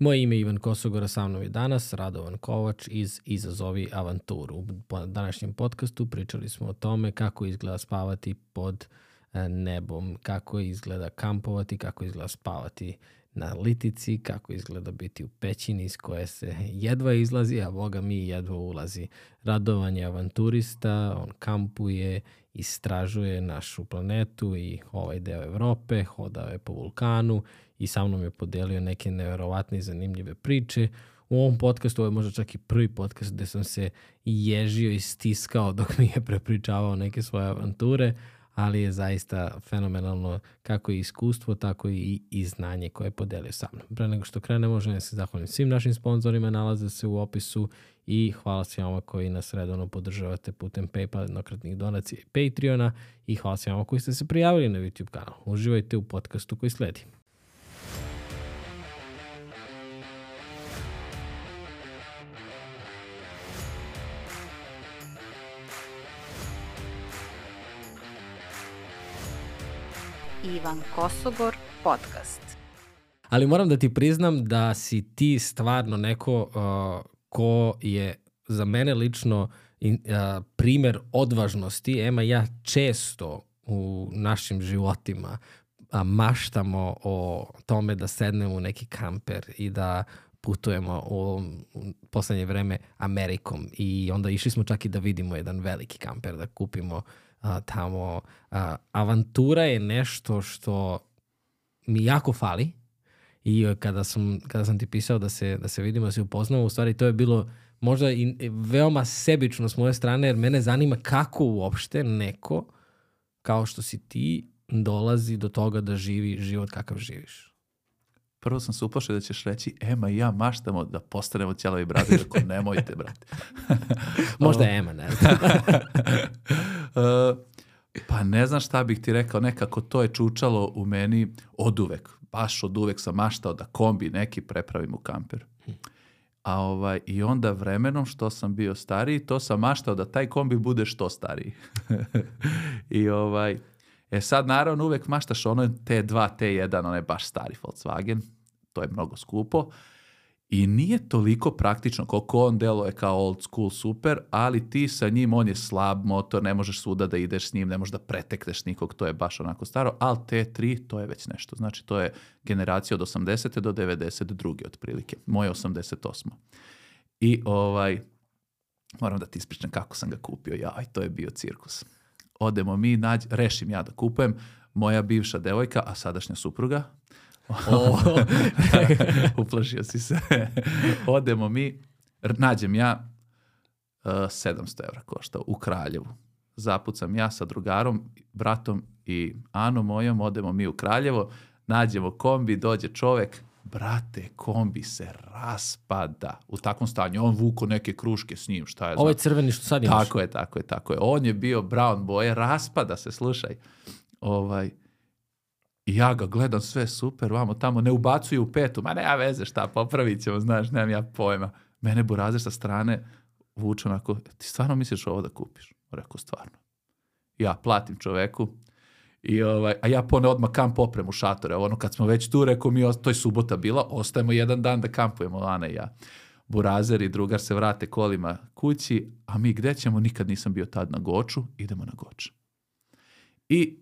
Moje ime je Ivan Kosogor, a sa mnom je danas Radovan Kovač iz Izazovi avanturu. U današnjem podcastu pričali smo o tome kako izgleda spavati pod nebom, kako izgleda kampovati, kako izgleda spavati na litici, kako izgleda biti u pećini iz koje se jedva izlazi, a Boga mi jedva ulazi. Radovan je avanturista, on kampuje, istražuje našu planetu i ovaj deo Evrope, hodao je po vulkanu i sa mnom je podelio neke neverovatne i zanimljive priče. U ovom podcastu, ovo je možda čak i prvi podcast gde sam se ježio i stiskao dok mi je prepričavao neke svoje avanture, ali je zaista fenomenalno kako i iskustvo, tako i znanje koje je podelio sa mnom. Pre nego što krenemo, želim se zahvalim svim našim sponzorima, nalaze se u opisu i hvala svima koji nas redovno podržavate putem PayPal, jednokratnih donacija i Patreona i hvala svima koji ste se prijavili na YouTube kanal. Uživajte u podcastu koji sledi. Ivan Kosogor podcast. Ali moram da ti priznam da si ti stvarno neko ko je za mene lično primer odvažnosti. Ema ja često u našim životima maštamo o tome da sednemo u neki kamper i da putujemo u poslednje vreme Amerikom. I onda išli smo čak i da vidimo jedan veliki kamper, da kupimo tamo. Avantura je nešto što mi jako fali i kada sam ti pisao da se vidimo, da se upoznamo, u stvari to je bilo možda i veoma sebično s moje strane, jer mene zanima kako uopšte neko kao što si ti dolazi do toga da živi život kakav živiš. Prvo sam se uplašio da ćeš reći, Ema i ja maštamo da postanemo ćelavi brade, ako nemojte, brate. Možda Ema, ne. Pa ne znam šta bih ti rekao, nekako to je čučalo u meni oduvek. Baš oduvek sam maštao da kombi neki prepravim u kamper. I onda vremenom što sam bio stariji, to sam maštao da taj kombi bude što stariji. Sad naravno uvek maštaš ono T2, T1, onaj baš stari Volkswagen, to je mnogo skupo i nije toliko praktično koliko on deluje kao old school super, ali ti sa njim, on je slab motor, ne možeš svuda da ideš s njim, ne možeš da pretekneš nikog, to je baš onako staro, ali T3 to je već nešto, znači to je generacija od 80. do 92. otprilike, moje 88. I moram da ti ispričam kako sam ga kupio, to je bio cirkus. Odemo mi, rešim ja da kupujem, moja bivša devojka, a sadašnja supruga, uplašio si se, odemo mi, nađem ja, 700 evra košta u Kraljevu, zapucam ja sa drugarom, bratom i Anom mojom, odemo mi u Kraljevo, nađemo kombi, dođe čovek, brate, kombi se raspada u takvom stanju. On vuko neke kruške s njim, šta je znam. Ovo je crveni što sad imaš. Tako je. On je bio brown boje, raspada se, slušaj. I ja ga gledam, sve super, vamo tamo, ne ubacuju u petu. Ma nema veze, šta, popravit ćemo, znaš, nemam ja pojma. Mene burazer sa strane vuče onako, ti stvarno misliš ovo da kupiš? Rekao, stvarno. Ja platim čoveku. A ja pone odmah kamp opremu šatore. Kad smo već tu, rekao mi, to je subota bila, ostajemo jedan dan da kampujemo, Ana i ja. Burazer i drugar se vrate kolima kući, a mi gde ćemo? Nikad nisam bio tad na Goču, idemo na Goč. I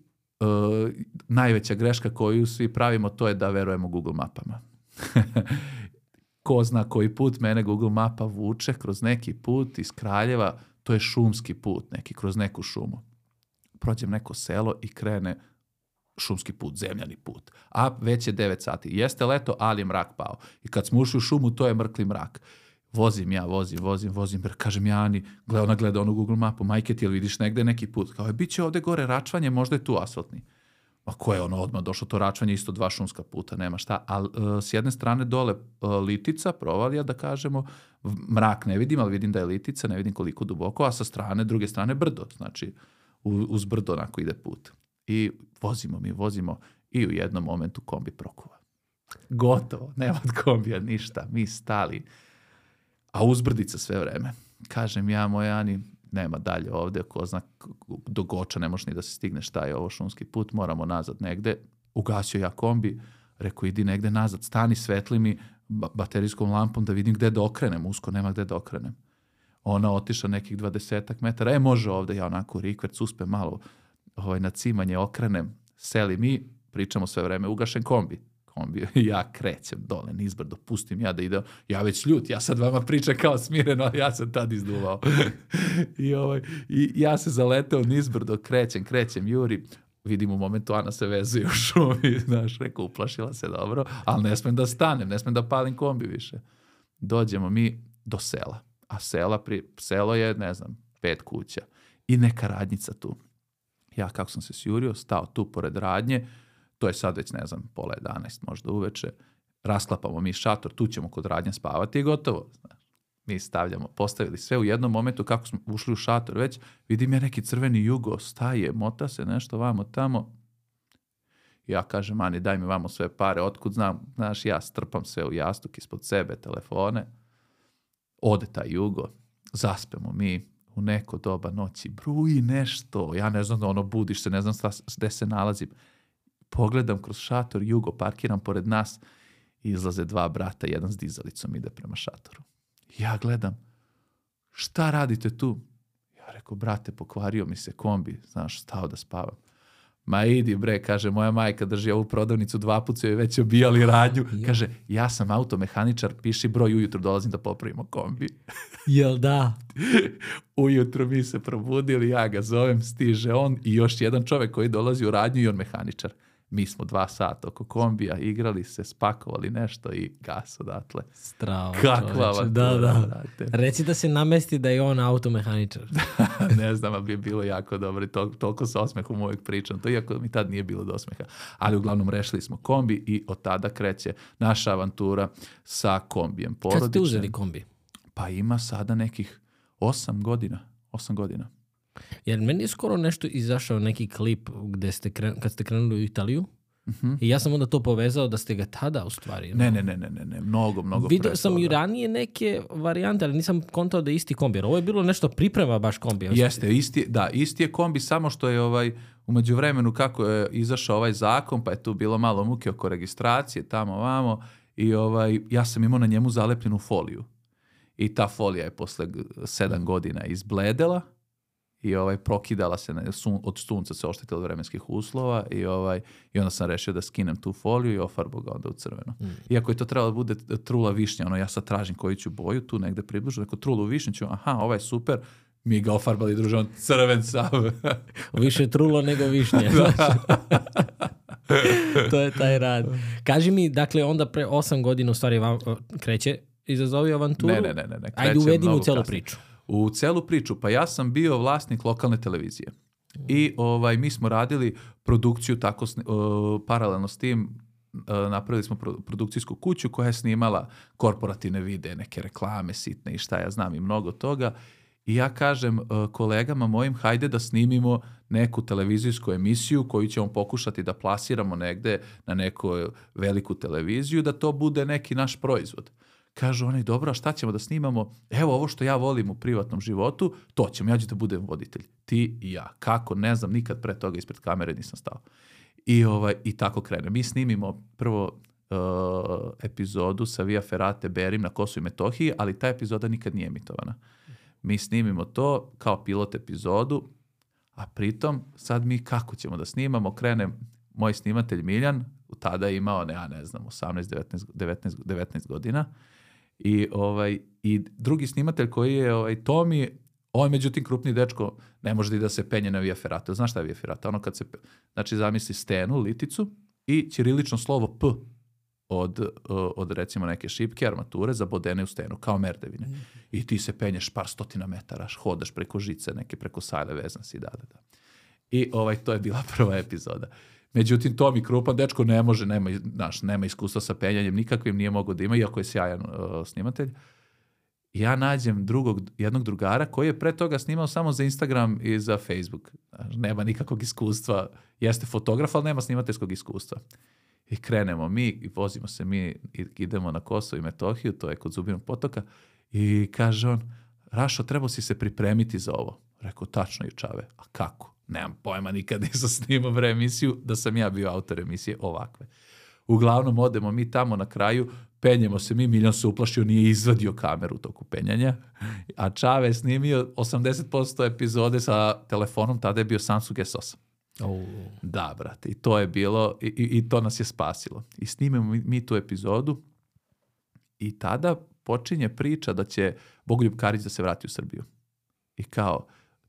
najveća greška koju svi pravimo, to je da verujemo Google mapama. Ko zna koji put mene Google mapa vuče kroz neki put iz Kraljeva, to je šumski put, neki kroz neku šumu. Prođem neko selo i krene šumski put, zemljani put. A već je 9 sati. Jeste leto, ali je mrak pao. I kad smo ušli u šumu, to je mrkli mrak. Vozim. Kažem ja Ani, ona gleda onu Google mapu, majke ti, jel vidiš negde neki put? Kao je, bit će ovde gore račvanje, možda je tu asfaltni. A ko je odmah došlo to račvanje, isto 2 šumska puta, nema šta. Ali s jedne strane dole litica, provalija da kažemo, mrak ne vidim, ali vidim da je litica, ne vidim koliko duboko, a sa strane, druge strane brdo, znači uz brdo onako ide put. I vozimo i u jednom momentu kombi prokuva. Gotovo, nema od kombija ništa, mi stali. A uzbrdica sve vreme. Kažem ja moj Ani, nema dalje ovde, ko zna, do Goča ne možeš ni da se stigne, šta je ovo šumski put, moramo nazad negde. Ugasio ja kombi, rekao idi negde nazad, stani, svetli mi, baterijskom lampom da vidim gde da okrenem, usko nema gde da okrenem. Ona otišla nekih 20 metara, može ovde, ja onako rikverc uspem malo na cimanje okrenem, seli mi, pričamo sve vreme, ugašen kombi, ja krećem dole nizbrdo, pustim ja da idem, ja već ljut, ja sad vama pričam kao smireno, ali ja sam tad izduvao. I ja se zaleteo nizbrdo, krećem, juri, vidim u momentu Ana se vezuje u šumi, znaš, rekao, uplašila se dobro, ali ne smem da stanem, ne smem da palim kombi više. Dođemo mi do sela, a selo je, ne znam, 5 kuća i neka radnjica tu. Ja kako sam se sjurio, stao tu pored radnje, to je sad već, ne znam, 10:30 možda uveče, rasklapamo mi šator, tu ćemo kod radnje spavati i gotovo. Znaš. Mi postavili sve u jednom momentu, kako smo ušli u šator već, vidim ja neki crveni jugo, staje, mota se nešto vamo tamo. Ja kažem, Ani, daj mi vamo sve pare, otkud znam, znaš, ja strpam sve u jastuk ispod sebe, telefone, ode taj jugo, zaspemo mi u neko doba noći, bruji nešto, ja ne znam, budiš se, ne znam gde se nalazim. Pogledam kroz šator, jugo, parkiram pored nas, izlaze 2 brata, jedan s dizalicom ide prema šatoru. Ja gledam, šta radite tu? Ja rekao, brate, pokvario mi se kombi, znaš, stao da spavam. Ma idi bre, kaže, moja majka drži ovu prodavnicu, 2 puta su joj već obijali radnju. Kaže, ja sam automehaničar, piši broj, ujutro dolazim da popravimo kombi. Jel da? Ujutro mi se probudili, ja ga zovem, stiže on i još jedan čovek koji dolazi u radnju i on mehaničar. Mi smo 2 sata oko kombija, igrali se, spakovali nešto i gas odatle. Strava. Kakva avantura. Da. Reci da se namesti da je on automehaničar. Ne znam, ali bi je bilo jako dobro i toliko sa osmehom uvijek pričam. To iako mi tad nije bilo do osmeha. Ali uglavnom rešili smo kombi i od tada kreće naša avantura sa kombijem porodičnim. Kad ste uzeli kombi? Pa ima sada nekih 8 godina. 8 godina. Jer meni je skoro nešto izašao neki klip gde kad ste krenuli u Italiju i ja sam onda to povezao da ste ga tada u stvari. Ne, mnogo Vidio sam i ranije neke varijante, ali nisam kontao da je isti kombi. Jer ovo je bilo nešto priprema baš kombi. Jeste, isti je kombi, samo što je u međuvremenu kako je izašao ovaj zakon, pa je tu bilo malo muke oko registracije, tamo ovamo, i ja sam imao na njemu zalepljenu foliju. I ta folija je posle 7 godina izbledela, i prokidala se od sunca, se oštetila od vremenskih uslova i onda sam rešio da skinem tu foliju i ofarbao ga onda u crveno. Iako je to trebalo da bude trula višnja, ja sad tražim koju ću boju tu negde približno, neko trulu višnju ću, ovaj je super, mi ga ofarbali druže, on crven sav. Više trulo nego višnje. To je taj rad. Kaži mi, dakle, onda pre 8 godina u stvari vam kreće izazovi avanturu? Ne. Ajde uvedimo u celu priču. U celu priču, pa ja sam bio vlasnik lokalne televizije i mi smo radili produkciju tako paralelno s tim, napravili smo produkcijsku kuću koja je snimala korporativne videe, neke reklame sitne i šta ja znam i mnogo toga i ja kažem kolegama mojim, hajde da snimimo neku televizijsku emisiju koju ćemo pokušati da plasiramo negde na neku veliku televiziju, da to bude neki naš proizvod. Kažu oni, dobro, a šta ćemo da snimamo? Evo ovo što ja volim u privatnom životu, to ćemo, ja ću da budem voditelj. Ti i ja. Kako? Ne znam, nikad pre toga ispred kamere nisam stao. I tako krene. Mi snimimo prvo epizodu sa Via Ferrate Berim na Kosovu i Metohiji, ali ta epizoda nikad nije emitovana. Mi snimimo to kao pilot epizodu, a pritom sad mi kako ćemo da snimamo? Krene moj snimatelj Miljan, tada je imao, ne znam, 18, 19 godina, i drugi snimatelj koji je Tomi, on međutim krupni dečko, ne može da se penje na Via Ferrata. Znaš šta je Via Ferrata? Ono kad se, znači zamisli stenu, liticu i ćirilično slovo P od recimo neke šipke, armature zabodene u stenu, kao merdevine. I ti se penješ par stotina metara, hodaš preko žice, neke preko sajle, vezan si, da. I to je bila prva epizoda. Međutim, Tomi krupan dečko ne može, nema iskustva sa penjanjem nikakvim, nije mogao da ima, iako je sjajan snimatelj. Ja nađem jednog drugara koji je pre toga snimao samo za Instagram i za Facebook. Nema nikakvog iskustva, jeste fotograf, ali nema snimateljskog iskustva. I krenemo mi, i vozimo se mi, idemo na Kosovo i Metohiju, to je kod Zubinog potoka, i kaže on, Rašo, trebao si se pripremiti za ovo. Rekao, tačno je čave, a kako? Nemam pojma, nikad nisam snimao emisiju da sam ja bio autor emisije ovakve. Uglavnom, odemo mi tamo na kraju, penjemo se mi, Miljan se uplašio, nije izvadio kameru u toku penjanja, a Čave je snimio 80% epizode sa telefonom, tada je bio Samsung S8. Da, brate, i to je bilo, i to nas je spasilo. I snimimo mi tu epizodu i tada počinje priča da će Bogoljub Karić da se vrati u Srbiju. I kao,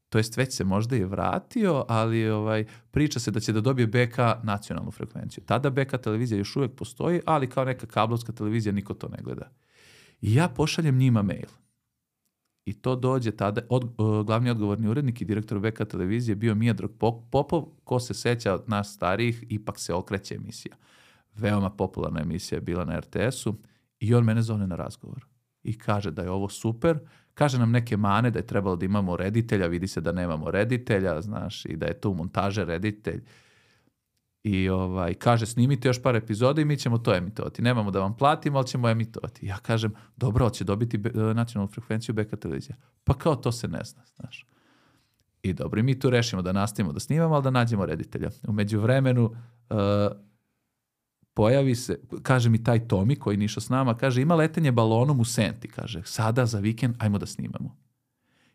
to jest već se možda i vratio, ali priča se da će da dobije BK nacionalnu frekvenciju. Tada BK televizija još uvijek postoji, ali kao neka kablovska televizija niko to ne gleda. I ja pošaljem njima mail. I to dođe tada, glavni odgovorni urednik i direktor BK televizije bio Mijadrag Popov, ko se seća od nas starijih, ipak se okreće emisija. Veoma popularna emisija je bila na RTS-u i on mene zove na razgovor. I kaže da je ovo super, kaže nam neke mane, da je trebalo da imamo reditelja, vidi se da nemamo reditelja, znaš, i da je tu montaže reditelj. I kaže, snimite još par epizoda i mi ćemo to emitovati. Nemamo da vam platimo, ali ćemo emitovati. Ja kažem, dobro, će dobiti nacionalnu frekvenciju BK televizija. Pa kao to se ne zna, znaš. I dobro, i mi tu rešimo da nastavimo da snimamo, ali da nađemo reditelja. U međuvremenu pojavi se, kaže mi taj Tomi koji nije išao s nama, kaže, ima letenje balonom u Senti, kaže, sada za vikend, ajmo da snimamo.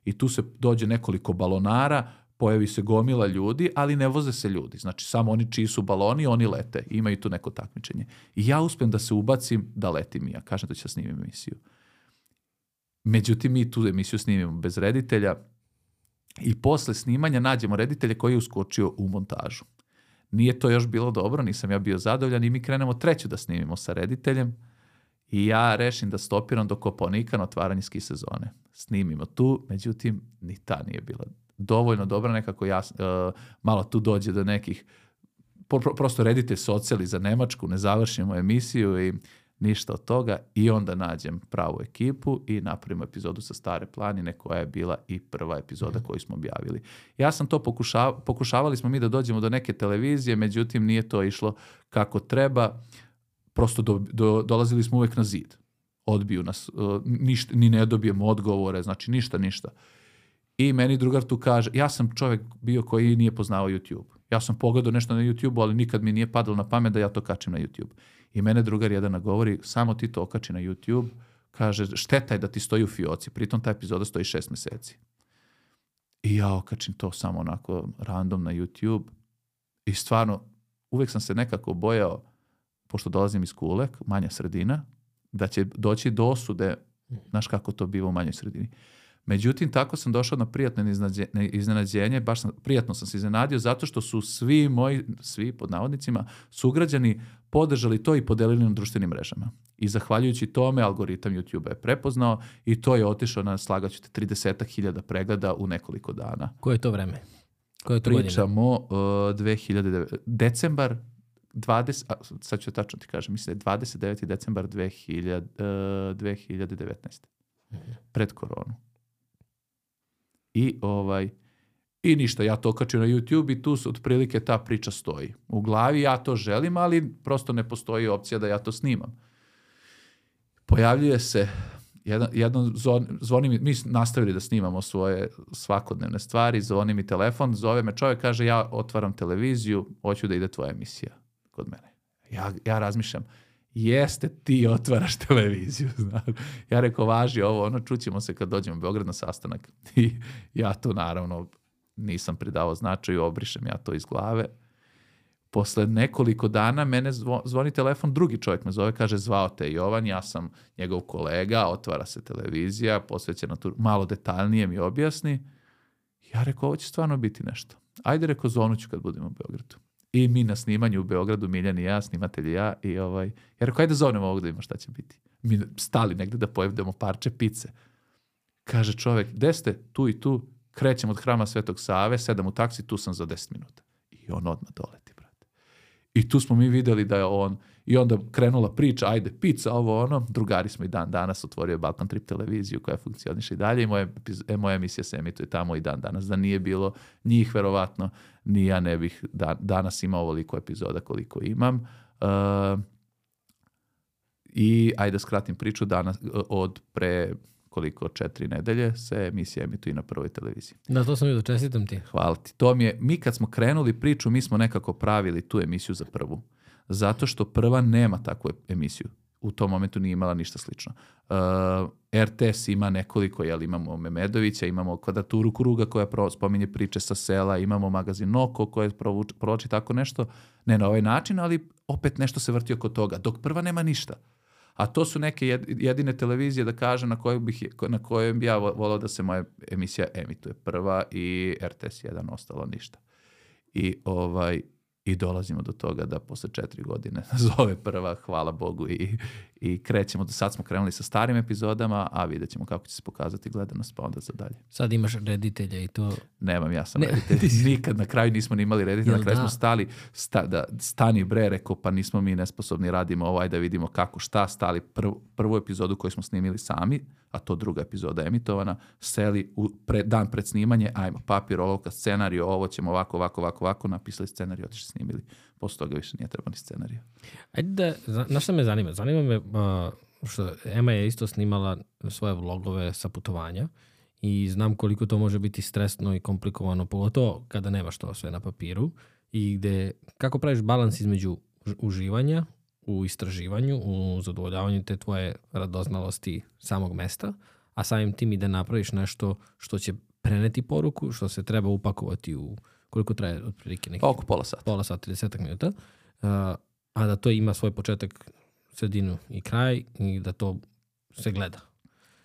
I tu se dođe nekoliko balonara, pojavi se gomila ljudi, ali ne voze se ljudi. Znači, samo oni čiji su baloni, oni lete. Imaju tu neko takmičenje. I ja uspem da se ubacim da letim ja. Kažem da ću snimim emisiju. Međutim, mi tu emisiju snimimo bez reditelja i posle snimanja nađemo reditelja koji je uskočio u montažu. Nije to još bilo dobro, nisam ja bio zadovoljan i mi krenemo treću da snimimo sa rediteljem i ja rešim da stopiram do Kopaonika na otvaranje ski sezone. Snimimo tu, međutim, ni ta nije bila dovoljno dobra, nekako malo tu dođe do nekih, prosto reditelj se oceli za Nemačku, ne završimo emisiju i ništa od toga i onda nađem pravu ekipu i napravimo epizodu sa Stare planine koja je bila i prva epizoda koju smo objavili. Ja sam to pokušavali smo mi da dođemo do neke televizije, međutim nije to išlo kako treba, prosto dolazili smo uvek na zid. Odbiju nas, ni ne dobijemo odgovore, znači ništa. I meni drugar tu kaže, ja sam čovjek bio koji nije poznao YouTube. Ja sam pogledao nešto na YouTube, ali nikad mi nije padalo na pamet da ja to kačim na YouTube. I mene drugar jedan nagovori, samo ti to okači na YouTube, kaže, šteta je da ti stoji u fioci, pritom ta epizoda stoji 6 meseci. I ja okačim to samo onako random na YouTube i stvarno, uvijek sam se nekako bojao, pošto dolazim iz Kule, manja sredina, da će doći do osude, znaš kako to biva u manjoj sredini. Međutim, tako sam došao na prijatno iznenađenje, prijatno sam se iznenadio zato što su svi pod navodnicima, sugrađani podržali to i podelili na društvenim mrežama. I zahvaljujući tome, algoritam YouTube je prepoznao i to je otišao na, slagaću te, 30.000 pregleda u nekoliko dana. Koje je to vreme? Pričamo 2009. Decembar 20, sad ću tačno ti kažem, mislim da je 29. decembar 2019. Pred koronu. I ništa, ja to okačim na YouTube i tu otprilike ta priča stoji. U glavi ja to želim, ali prosto ne postoji opcija da ja to snimam. Pojavljuje se zvoni mi, mi nastavili da snimamo svoje svakodnevne stvari, zvoni mi telefon, zove me čovjek, kaže, ja otvaram televiziju, hoću da ide tvoja emisija kod mene. Ja razmišljam, jeste, ti otvaraš televiziju. Ja rekao, važi ovo, čućemo se kad dođemo u Beograd na sastanak. I ja to naravno nisam pridavao značaju, obrišem ja to iz glave. Posle nekoliko dana mene zvoni telefon, drugi čovjek me zove, kaže, zvao te Jovan, ja sam njegov kolega, otvara se televizija, posvećena tu, malo detaljnije mi objasni. Ja rekao, ovo će stvarno biti nešto. Ajde, rekao, zvonuću kad budemo u Beogradu. I mi na snimanju u Beogradu, Miljan i ja, snimatelj i ja, i ja rekao, ajde zovnemo ovog da ima šta će biti. Mi stali negde da pojedemo parče pice. Kaže čovjek, gde ste? Tu i tu, krećem od Hrama Svetog Save, sedam u taksi, tu sam za 10 minuta. I on odmah doleti, brate. I tu smo mi vidjeli da je on, i onda krenula priča, ajde, pizza, ovo, drugari smo i dan danas, otvorio Balkan Trip televiziju koja funkcioniše i dalje i moja emisija se emituje tamo i dan danas. Da nije bilo njih, verovatno, ni ja ne bih danas imao ovoliko epizoda koliko imam. I ajde skratim priču, danas od pre 4 nedelje se emisija emituje na Prvoj televiziji. Da, to sam vidio, čestitam ti. Hvala ti. Mi kad smo krenuli priču, mi smo nekako pravili tu emisiju za Prvu. Zato što Prva nema takvu emisiju. u tom momentu nije imala ništa slično. RTS ima nekoliko, imamo Memedovića, imamo Kvadraturu kruga koja spominje priče sa sela, imamo magazin Noko koja provlači tako nešto, ne na ovaj način, ali opet nešto se vrti oko toga, dok prva nema ništa. A to su neke jedine televizije, da kažem, na kojoj bi ja volao da se moja emisija emituje. Prva i RTS 1, ostalo ništa. I dolazimo do toga da posle 4 godine zove prva, hvala Bogu, i krećemo. Do sad smo krenuli sa starim epizodama, a vidjet ćemo kako će se pokazati gledanost, pa onda za dalje. Sad imaš reditelja i to... Nemam, ja sam reditelj. Nikad na kraju nismo ni imali reditelja. Na kraju smo stali, stani bre, rekao, pa nismo mi nesposobni, radimo ovo, ajde da vidimo kako, šta, stali prvu epizodu koju smo snimili sami, a to druga epizoda emitovana, seli dan pred snimanje, ajmo, papir, olovka, scenariju, ovo ćemo ovako, napisali scenariju, otišli snimili. Posle toga više nije trebao ni scenariju. Ajde znaš šta me zanima? Zanima me što Ema je isto snimala svoje vlogove sa putovanja i znam koliko to može biti stresno i komplikovano, pogotovo kada nemaš to sve na papiru i kako praviš balans između uživanja u istraživanju, u zadovoljavanju te tvoje radoznalosti samog mesta, a samim tim i da napraviš nešto što će preneti poruku, što se treba upakovati u koliko traje otprilike neki... Oko pola sata. Pola sata, 30 minuta. A da to ima svoj početak, sredinu i kraj i da to se gleda.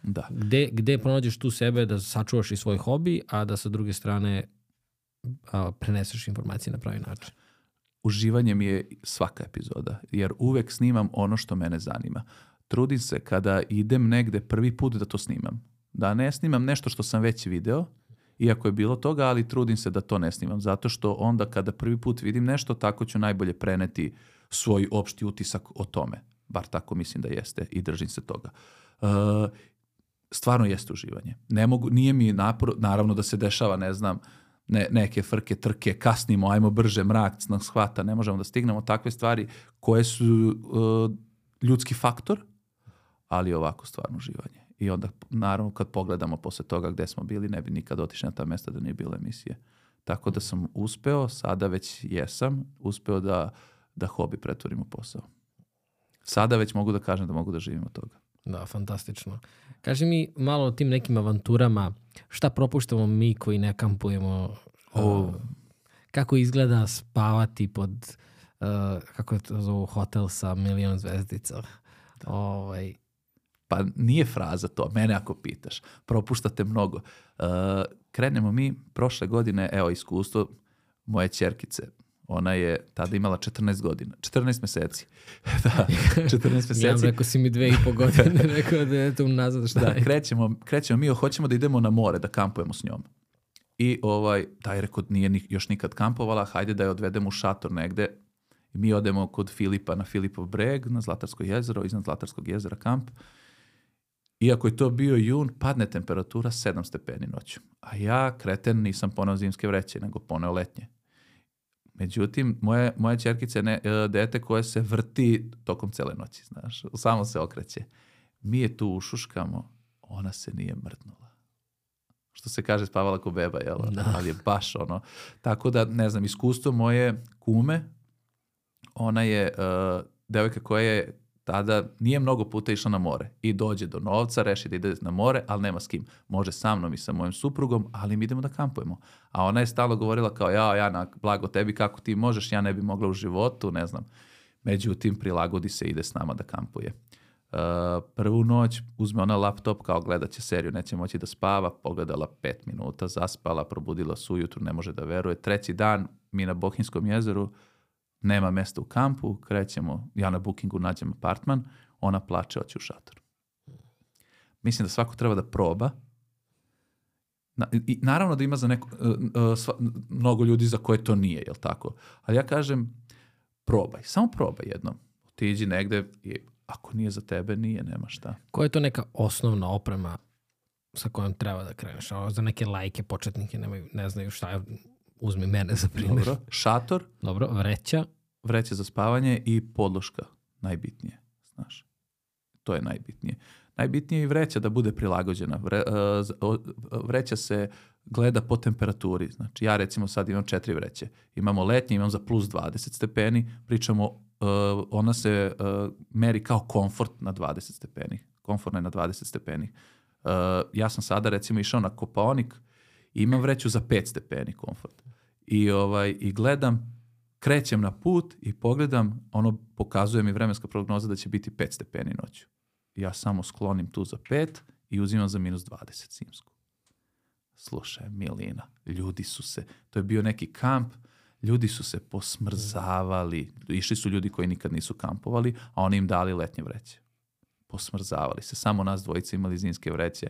Da. Gde pronađeš tu sebe da sačuvaš i svoj hobi, a da sa druge strane preneseš informacije na pravi način? Uživanje mi je svaka epizoda, jer uvek snimam ono što mene zanima. Trudim se kada idem negde prvi put da to snimam. Da ne snimam nešto što sam već video, iako je bilo toga, ali trudim se da to ne snimam. Zato što onda kada prvi put vidim nešto, tako ću najbolje preneti svoj opšti utisak o tome. Bar tako mislim da jeste i držim se toga. Stvarno jeste uživanje. Nije mi naravno da se dešava, ne znam, neke frke, trke, kasnimo, ajmo brže, mrak nas hvata, ne možemo da stignemo, takve stvari koje su ljudski faktor, ali ovako stvarno uživanje. I onda, naravno, kad pogledamo posle toga gde smo bili, ne bi nikad otišli na ta mesta da nije bilo emisije. Tako da sam uspeo, sada već jesam, uspeo da hobi pretvorim u posao. Sada već mogu da kažem da mogu da živim od toga. Da, fantastično. Kaži mi malo o tim nekim avanturama, šta propuštamo mi koji ne kampujemo, kako izgleda spavati pod, kako je to zovu, hotel sa 1.000.000 zvezdica. Pa nije fraza to, mene ako pitaš. Propuštate mnogo. Krenemo mi prošle godine, evo iskustvo moje ćerkice. Ona je tada imala 14 godina. 14 meseci. Da, 14 meseci. Ja rekao si mi 2,5 godine, rekao da je to unazad šta je. Krećemo mi, hoćemo da idemo na more, da kampujemo s njom. I taj rekao nije još nikad kampovala, hajde da je odvedemo u šator negde. I mi odemo kod Filipa na Filipov breg, na Zlatarsko jezero, iznad Zlatarskog jezera kamp. Iako je to bio jun, padne temperatura 7 stepeni noću. A ja, kreten, nisam poneo zimske vreće, nego poneo letnje. Međutim, moja ćerkica je dete koje se vrti tokom cele noći, znaš, samo se okreće. Mi je tu ušuškamo, ona se nije mrdnula. Što se kaže, spavala ko beba, jel? Da. Ali je baš ono. Tako da, ne znam, iskustvo moje kume, ona je devojka koja je tada nije mnogo puta išla na more i dođe do novca, reši da ide na more, ali nema s kim. Može sa mnom i sa mojim suprugom, ali mi idemo da kampujemo. A ona je stalno govorila kao, ja blago tebi, kako ti možeš, ja ne bi mogla u životu, ne znam. Međutim, prilagodi se, ide s nama da kampuje. Prvu noć uzme ona laptop, kao gledat će seriju, neće moći da spava, pogledala 5 minuta, zaspala, probudila se ujutru, ne može da veruje. 3. dan, mi na Bohinjskom jezeru, nema mesta u kampu, krećemo, ja na Bookingu nađem apartman, ona plače, hoće u šator. Mislim da svako treba da proba. I naravno da ima za mnogo ljudi za koje to nije, jel tako? Ali ja kažem, probaj, samo probaj jednom. Otiđi negde i ako nije za tebe, nema šta. Koja je to neka osnovna oprema sa kojom treba da kreneš? Za neke lajke, početnike, ne znaju šta je. Uzmi mene za primjer. Dobro, šator. Dobro, vreća. Vreća za spavanje i podloška, najbitnije, znaš. To je najbitnije. Najbitnije je i vreća da bude prilagođena. Vreća se gleda po temperaturi. Znači, ja recimo sad imam 4 vreće. Imamo letnje, imam za plus 20 stepeni, pričamo ona se meri kao komfort na 20 stepeni. Komfortna je na 20 stepeni. Ja sam sada recimo išao na Kopaonik i imam vreću za 5 stepeni komfort. I gledam, krećem na put i pogledam, ono pokazuje mi vremenska prognoza da će biti 5 stepeni noću. Ja samo sklonim tu za 5 i uzimam za -20 zimsku. Slušaj, milina, ljudi su se, to je bio neki kamp, ljudi su se posmrzavali. Išli su ljudi koji nikad nisu kampovali, a oni im dali letnje vreće. Posmrzavali se. Samo nas dvojice imali zimske vreće.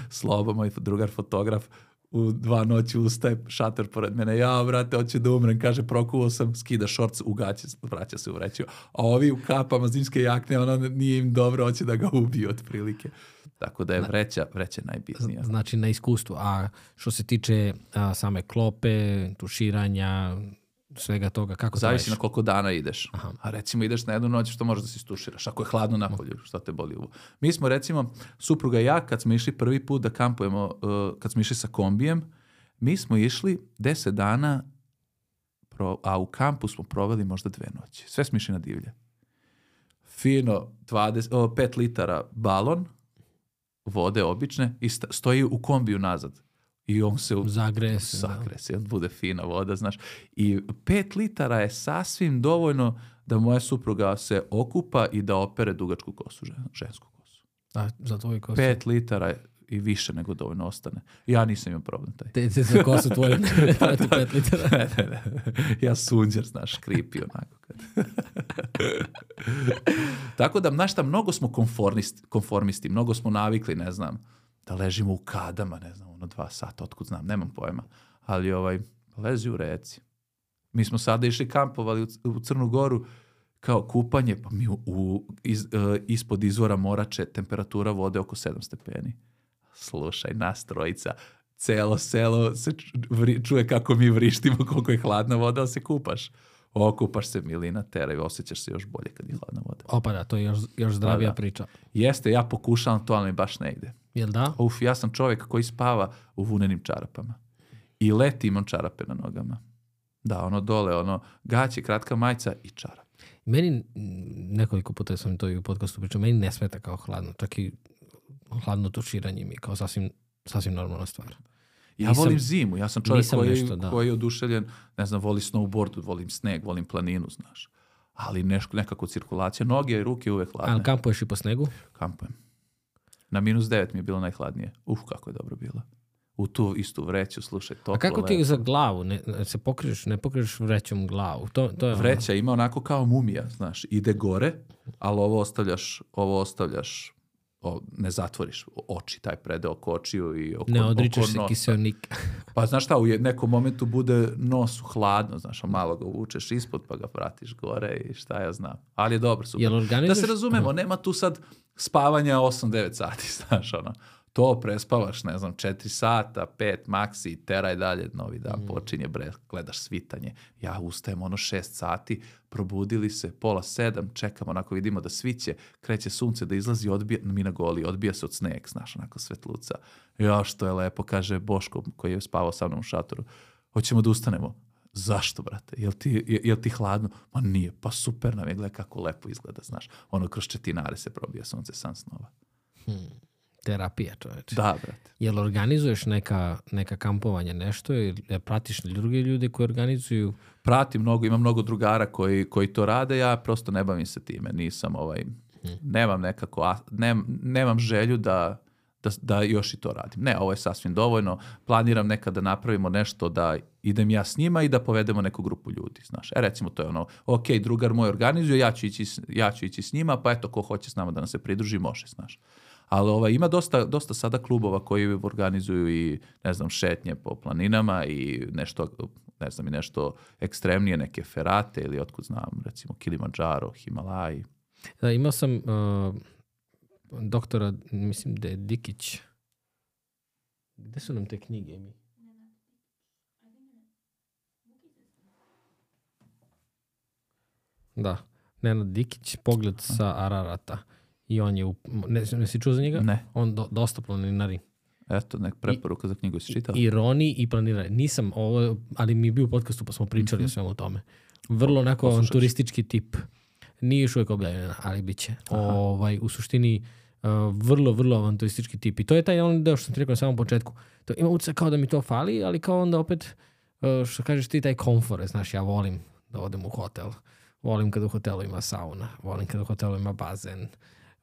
Slobo, moj drugar fotograf, u 2 noći ustaje, šator pored mene, ja, brate, hoću da umrem, kaže, prokuvao sam, skida šorc, u gaće, vraća se u vreću. A ovi u kapama zimske jakne, ono nije im dobro, hoće da ga ubiju otprilike. Tako da je vreća najbitnija. Znači na iskustvu. A što se tiče same klope, tuširanja, svega toga, kako to zavisi na koliko dana ideš. Aha. A recimo ideš na jednu noć, što možeš da se istuširaš? Ako je hladno napolju, šta te boli uvo? Mi smo recimo, supruga i ja, kad smo išli prvi put da kampujemo, kad smo išli sa kombijem, mi smo išli 10 dana, a u kampu smo proveli možda 2 noći. Sve smo išli na divlje. Fino, 5 litara balon, vode obične, i stoji u kombiju nazad. I on se zagreje se, bude fina voda, znaš. I 5 litara je sasvim dovoljno da moja supruga se okupa i da opere dugačku kosu, žensku kosu. A, za tvoju kosu? 5 litara je i više nego dovoljno ostane. Ja nisam imao problem taj. Te za kosu tvoju ne 5 litara? Ne. Ja sunđer, znaš, kripi onako. Tako da, znaš šta, mnogo smo konformisti, mnogo smo navikli, ne znam, da ležimo u kadama, ne znam, 2 sata, otkud znam, nemam pojma. Ali lezi u reci. Mi smo sada išli kampovali u Crnu Goru kao kupanje, pa mi ispod izvora Morače temperatura vode oko 7 stepeni. Slušaj, nas trojica, celo selo se čuje kako mi vrištimo, koliko je hladna voda, ali se kupaš. Okupaš se, milina, tera i osjećaš se još bolje kad je hladna voda. Opa da, to je još zdravija priča. Jeste, ja pokušavam to, ali mi baš ne ide. Jel da? Ja sam čovjek koji spava u vunenim čarapama. I leti imam čarape na nogama. Da, ono dole, gaće, kratka majica i čarap. Meni, nekoliko puta sam to i u podcastu pričao, meni ne smeta kao hladno. Čak i hladno tuširanje mi kao sasvim normalna stvar. Ja volim zimu, ja sam čovjek koji je oduševljen, ne znam, voli snowboard, volim sneg, volim planinu, znaš. Ali nekako cirkulacija, noge i ruke uvek hladne. Ali kampuješ i po snegu? Kampujem. Na -9 mi je bilo najhladnije. Kako je dobro bilo. U tu istu vreću, slušaj, toplo. A kako ti je za glavu? Ne pokriješ vrećom glavu? To je vreća ima onako kao mumija, znaš, ide gore, ali ovo ostavljaš, ne zatvoriš oči, taj predeo oko očiju i oko nosa. Ne odričeš se kiseonika. Pa znaš šta, u nekom momentu bude nosu hladno, znaš, a malo ga uvučeš ispod pa ga pratiš gore i šta ja znam. Ali je dobro, super. Da se razumemo, nema tu sad spavanja 8-9 sati, znaš, to prespavaš, ne znam, 4 sata, 5 maksi, teraj dalje, novi dan počinje, gledaš svitanje. Ja ustajem 6 sati, probudili se, 6:30, čekamo, onako vidimo da sviće, kreće sunce da izlazi, mi na goli, odbija se od sneg, znaš, onako svetluca. Ja, što je lepo, kaže Boško, koji je spavao sa mnom u šatoru. Hoćemo da ustanemo. Zašto, brate? Jel ti hladno? Ma nije, pa super nam je, gledaj kako lepo izgleda, znaš. Kroz četinare se probija sunce, san snova. Terapija, čoveče. Da, brate. Jel organizuješ neka kampovanja, nešto? Jel pratiš druge ljude koji organizuju? Pratim mnogo, imam mnogo drugara koji to rade, ja prosto ne bavim se time. Nisam nemam nekako, nemam želju da još i to radim. Ne, ovo je sasvim dovoljno. Planiram nekada da napravimo nešto da idem ja s njima i da povedemo neku grupu ljudi, znaš. Recimo to je ok, drugar moj organizuje, ja ću ići s njima, pa eto, ko hoće s nama da nam se pridruži, može, znaš. Ali ima dosta sada klubova koji organizuju i, ne znam, šetnje po planinama i nešto, ne znam, i nešto ekstremnije, neke ferate ili otkud znam, recimo Kilimandžaro, Himalaji. Da, imao sam doktora, mislim da je Dikić. Gde su nam te knjige mi? Da, Nenad Dikić, Pogled sa Ararata. I on je, ne si čuo za njega? Ne. On dosta planinari. Eto, nek preporuka za knjigu si čitala. I Roni i planirari. Nisam ovo, ali mi je bio u podcastu pa smo pričali o svemu o tome. Vrlo onako Poslušat ću. turistički tip. Nije još uvijek objavljeno, ali bit će. U suštini vrlo avanturistički tip. I to je taj on deo što sam ti rekao na samom početku. To ima utisak kao da mi to fali, ali kao onda opet, što kažeš ti, taj komfort. Znaš, ja volim da odem u hotel. Volim kad u hotelu ima sauna. Volim kad u hotelu ima bazen.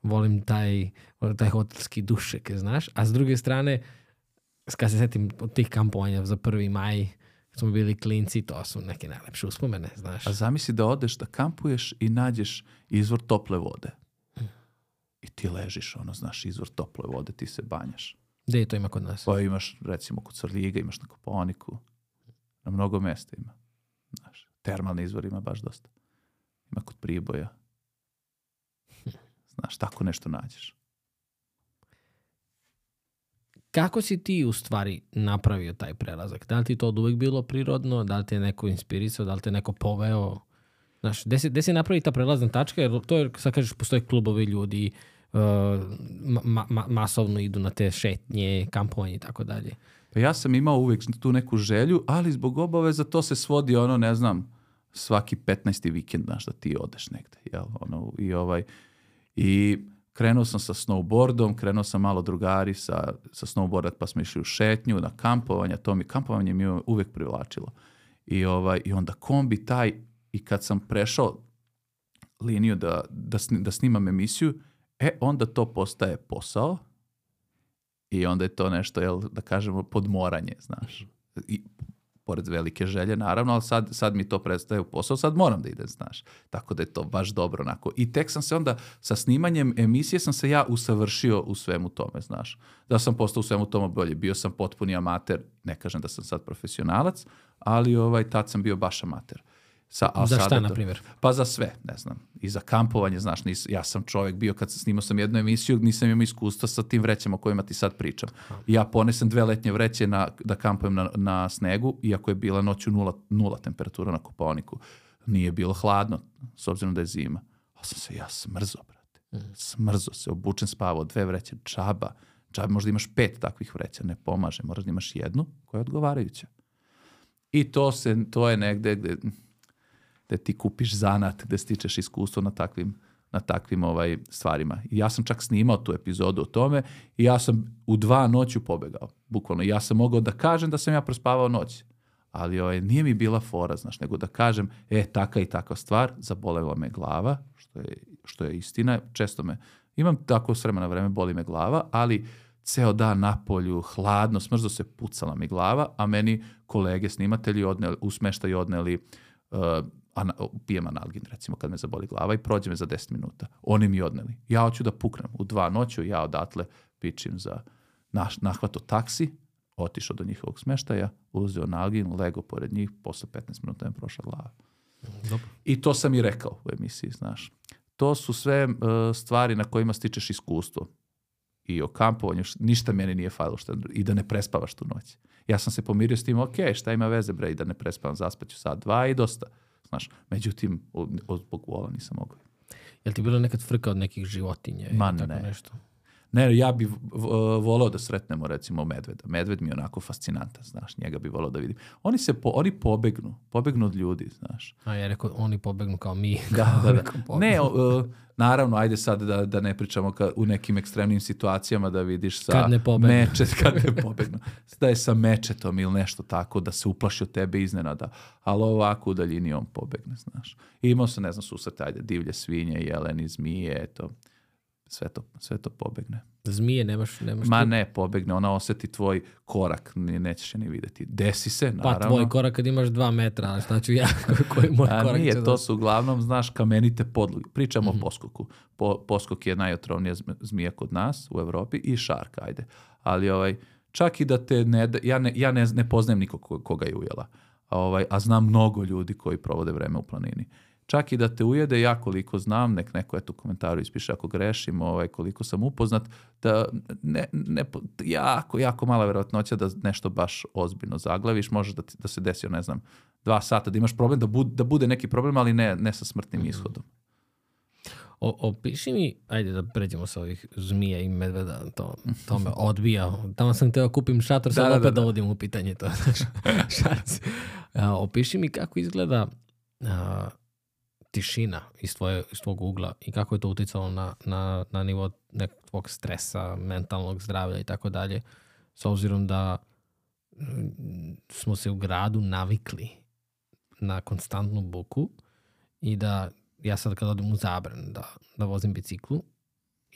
Volim taj hotelski dušek, znaš. A s druge strane, kad se setim od tih kampovanja za 1. maj, smo bili klinci, to su neke najlepše uspomene, znaš. A zamisli da odeš da kampuješ i nađeš izvor tople vode. I ti ležiš, znaš, izvor tople vode, ti se banjaš. Gde to ima kod nas? Pa imaš, recimo, kod Svrljiga, imaš na Kopaoniku. Na mnogo mesta ima. Znaš, termalni izvor ima baš dosta. Ima kod Priboja. Znaš, tako nešto nađeš. Kako si ti u stvari napravio taj prelazak? Da li ti to od uvijek bilo prirodno? Da li te je neko inspirisao? Da li te neko poveo? Znaš, gde si napravi ta prelazna tačka? Jer to je, sad kažeš, postoje klubovi ljudi, masovno idu na te šetnje, kampovanje i tako dalje. Pa ja sam imao uvijek tu neku želju, ali zbog obaveza to se svodi ne znam, svaki 15. vikend, znaš, da ti odeš negde. Jel? I krenuo sam sa snowboardom, krenuo sam malo drugari sa snowboarda, pa smo išli u šetnju, na kampovanje, kampovanje mi je uvijek privlačilo. I onda kombi taj, i kad sam prešao liniju da snimam emisiju, onda to postaje posao i onda je to nešto, da kažemo, podmoranje, znaš. I pored velike želje, naravno, ali sad mi to predstaje u posao, sad moram da idem, znaš. Tako da je to baš dobro, onako. I tek sam se onda, sa snimanjem emisije sam se ja usavršio u svemu tome, znaš. Da sam postao u svemu tome bolje. Bio sam potpuni amater, ne kažem da sam sad profesionalac, ali tad sam bio baš amater. Za šta, na primjer? Pa za sve, ne znam. I za kampovanje, znaš, ja sam čovjek bio, kad snimao sam jednu emisiju, nisam imao iskustva sa tim vrećama o kojima ti sad pričam. I ja ponesem 2 letnje vreće da kampujem na snegu, iako je bila noću nula temperatura na Kopaoniku. Nije bilo hladno, s obzirom da je zima. Ali sam se ja smrzo, brate. Smrzo se, obučen, spavao, 2 vreće, džaba. Možda imaš 5 takvih vreća, ne pomaže. Moraš da imaš jednu koja je odgovarajuća. I to je negde gde ti kupiš zanat, gde stičeš iskustvo na takvim stvarima. I ja sam čak snimao tu epizodu o tome i ja sam u 2 noću pobegao. Bukvalno. Ja sam mogao da kažem da sam ja prospavao noć. Ali nije mi bila fora, znaš, nego da kažem, taka i takva stvar, zabolela me glava, što je istina. Često imam tako s vremena na vreme, boli me glava, ali ceo dan na polju, hladno, smrzlo se, pucala mi glava, a meni kolege snimatelji u smeštaju odneli pijem analgin, recimo, kad me zaboli glava i prođe me za 10 minuta. Oni mi odneli. Ja hoću da puknem. U 2 noću ja odatle pičim za nahvato taksi, otišao do njihovog smeštaja, uzeo analgin, lego pored njih, posle 15 minuta me prošla glava. Dobro. I to sam i rekao u emisiji, znaš. To su sve stvari na kojima stičeš iskustvo. I o kampovanju, ništa meni nije falilo i da ne prespavaš tu noć. Ja sam se pomirio s tim, šta ima veze, bre, i da ne prespavam, zaspaću sat, 2 i dosta. Znaš, međutim, zbog vola nisam mogao. Jel ti bilo nekad frka od nekih životinja? Ma tako ne. Nešto? Ne, ja bih volao da sretnemo, recimo, medveda. Medved mi je onako fascinantan, znaš, njega bi volao da vidim. Oni pobegnu od ljudi, znaš. A ja rekao, oni pobegnu kao mi. Da. Ne, naravno, ajde sad da ne pričamo u nekim ekstremnim situacijama da vidiš sa kad ne pobegnu. Da je sa mečetom ili nešto tako, da se uplaši od tebe iznenada. Ali ovako u daljini on pobegne, znaš. I imao se, ne znam, susrete, divlje svinje, jeleni, zmije, eto. Sve to pobegne. Zmije nemaš Ma ne, pobegne. Ona osjeti tvoj korak. Nećeš je ni vidjeti. Desi se, naravno. Pa tvoj korak kad imaš 2 metra, ali šta ću ja? Koji moj korak nije, će to su uglavnom, znaš, kamenite podloge. Pričamo o poskoku. Poskok je najotrovnija zmija kod nas u Evropi i šarka, ajde. Ali čak i da te ja ne poznajem nikog koga je ujela. A znam mnogo ljudi koji provode vreme u planini. Čak i da te ujede, ja koliko znam, neko u komentaru ispiše ako grešim, koliko sam upoznat, da jako mala verovatnoća da nešto baš ozbiljno zaglaviš, može da se desi, ne znam, 2 sata, da imaš problem, da bude neki problem, ali ne sa smrtnim ishodom. Opiši mi, ajde da pređemo sa ovih zmija i medveda, to me odbija. Tamo sam teo kupim šator, sad opet dovodim u pitanje to. Opiši mi kako izgleda tišina iz tvog ugla i kako je to uticalo na nivo nekog tvog stresa, mentalnog zdravlja i tako dalje, s obzirom da smo se u gradu navikli na konstantnu buku i da ja sad kad odem u Zabran da vozim biciklu,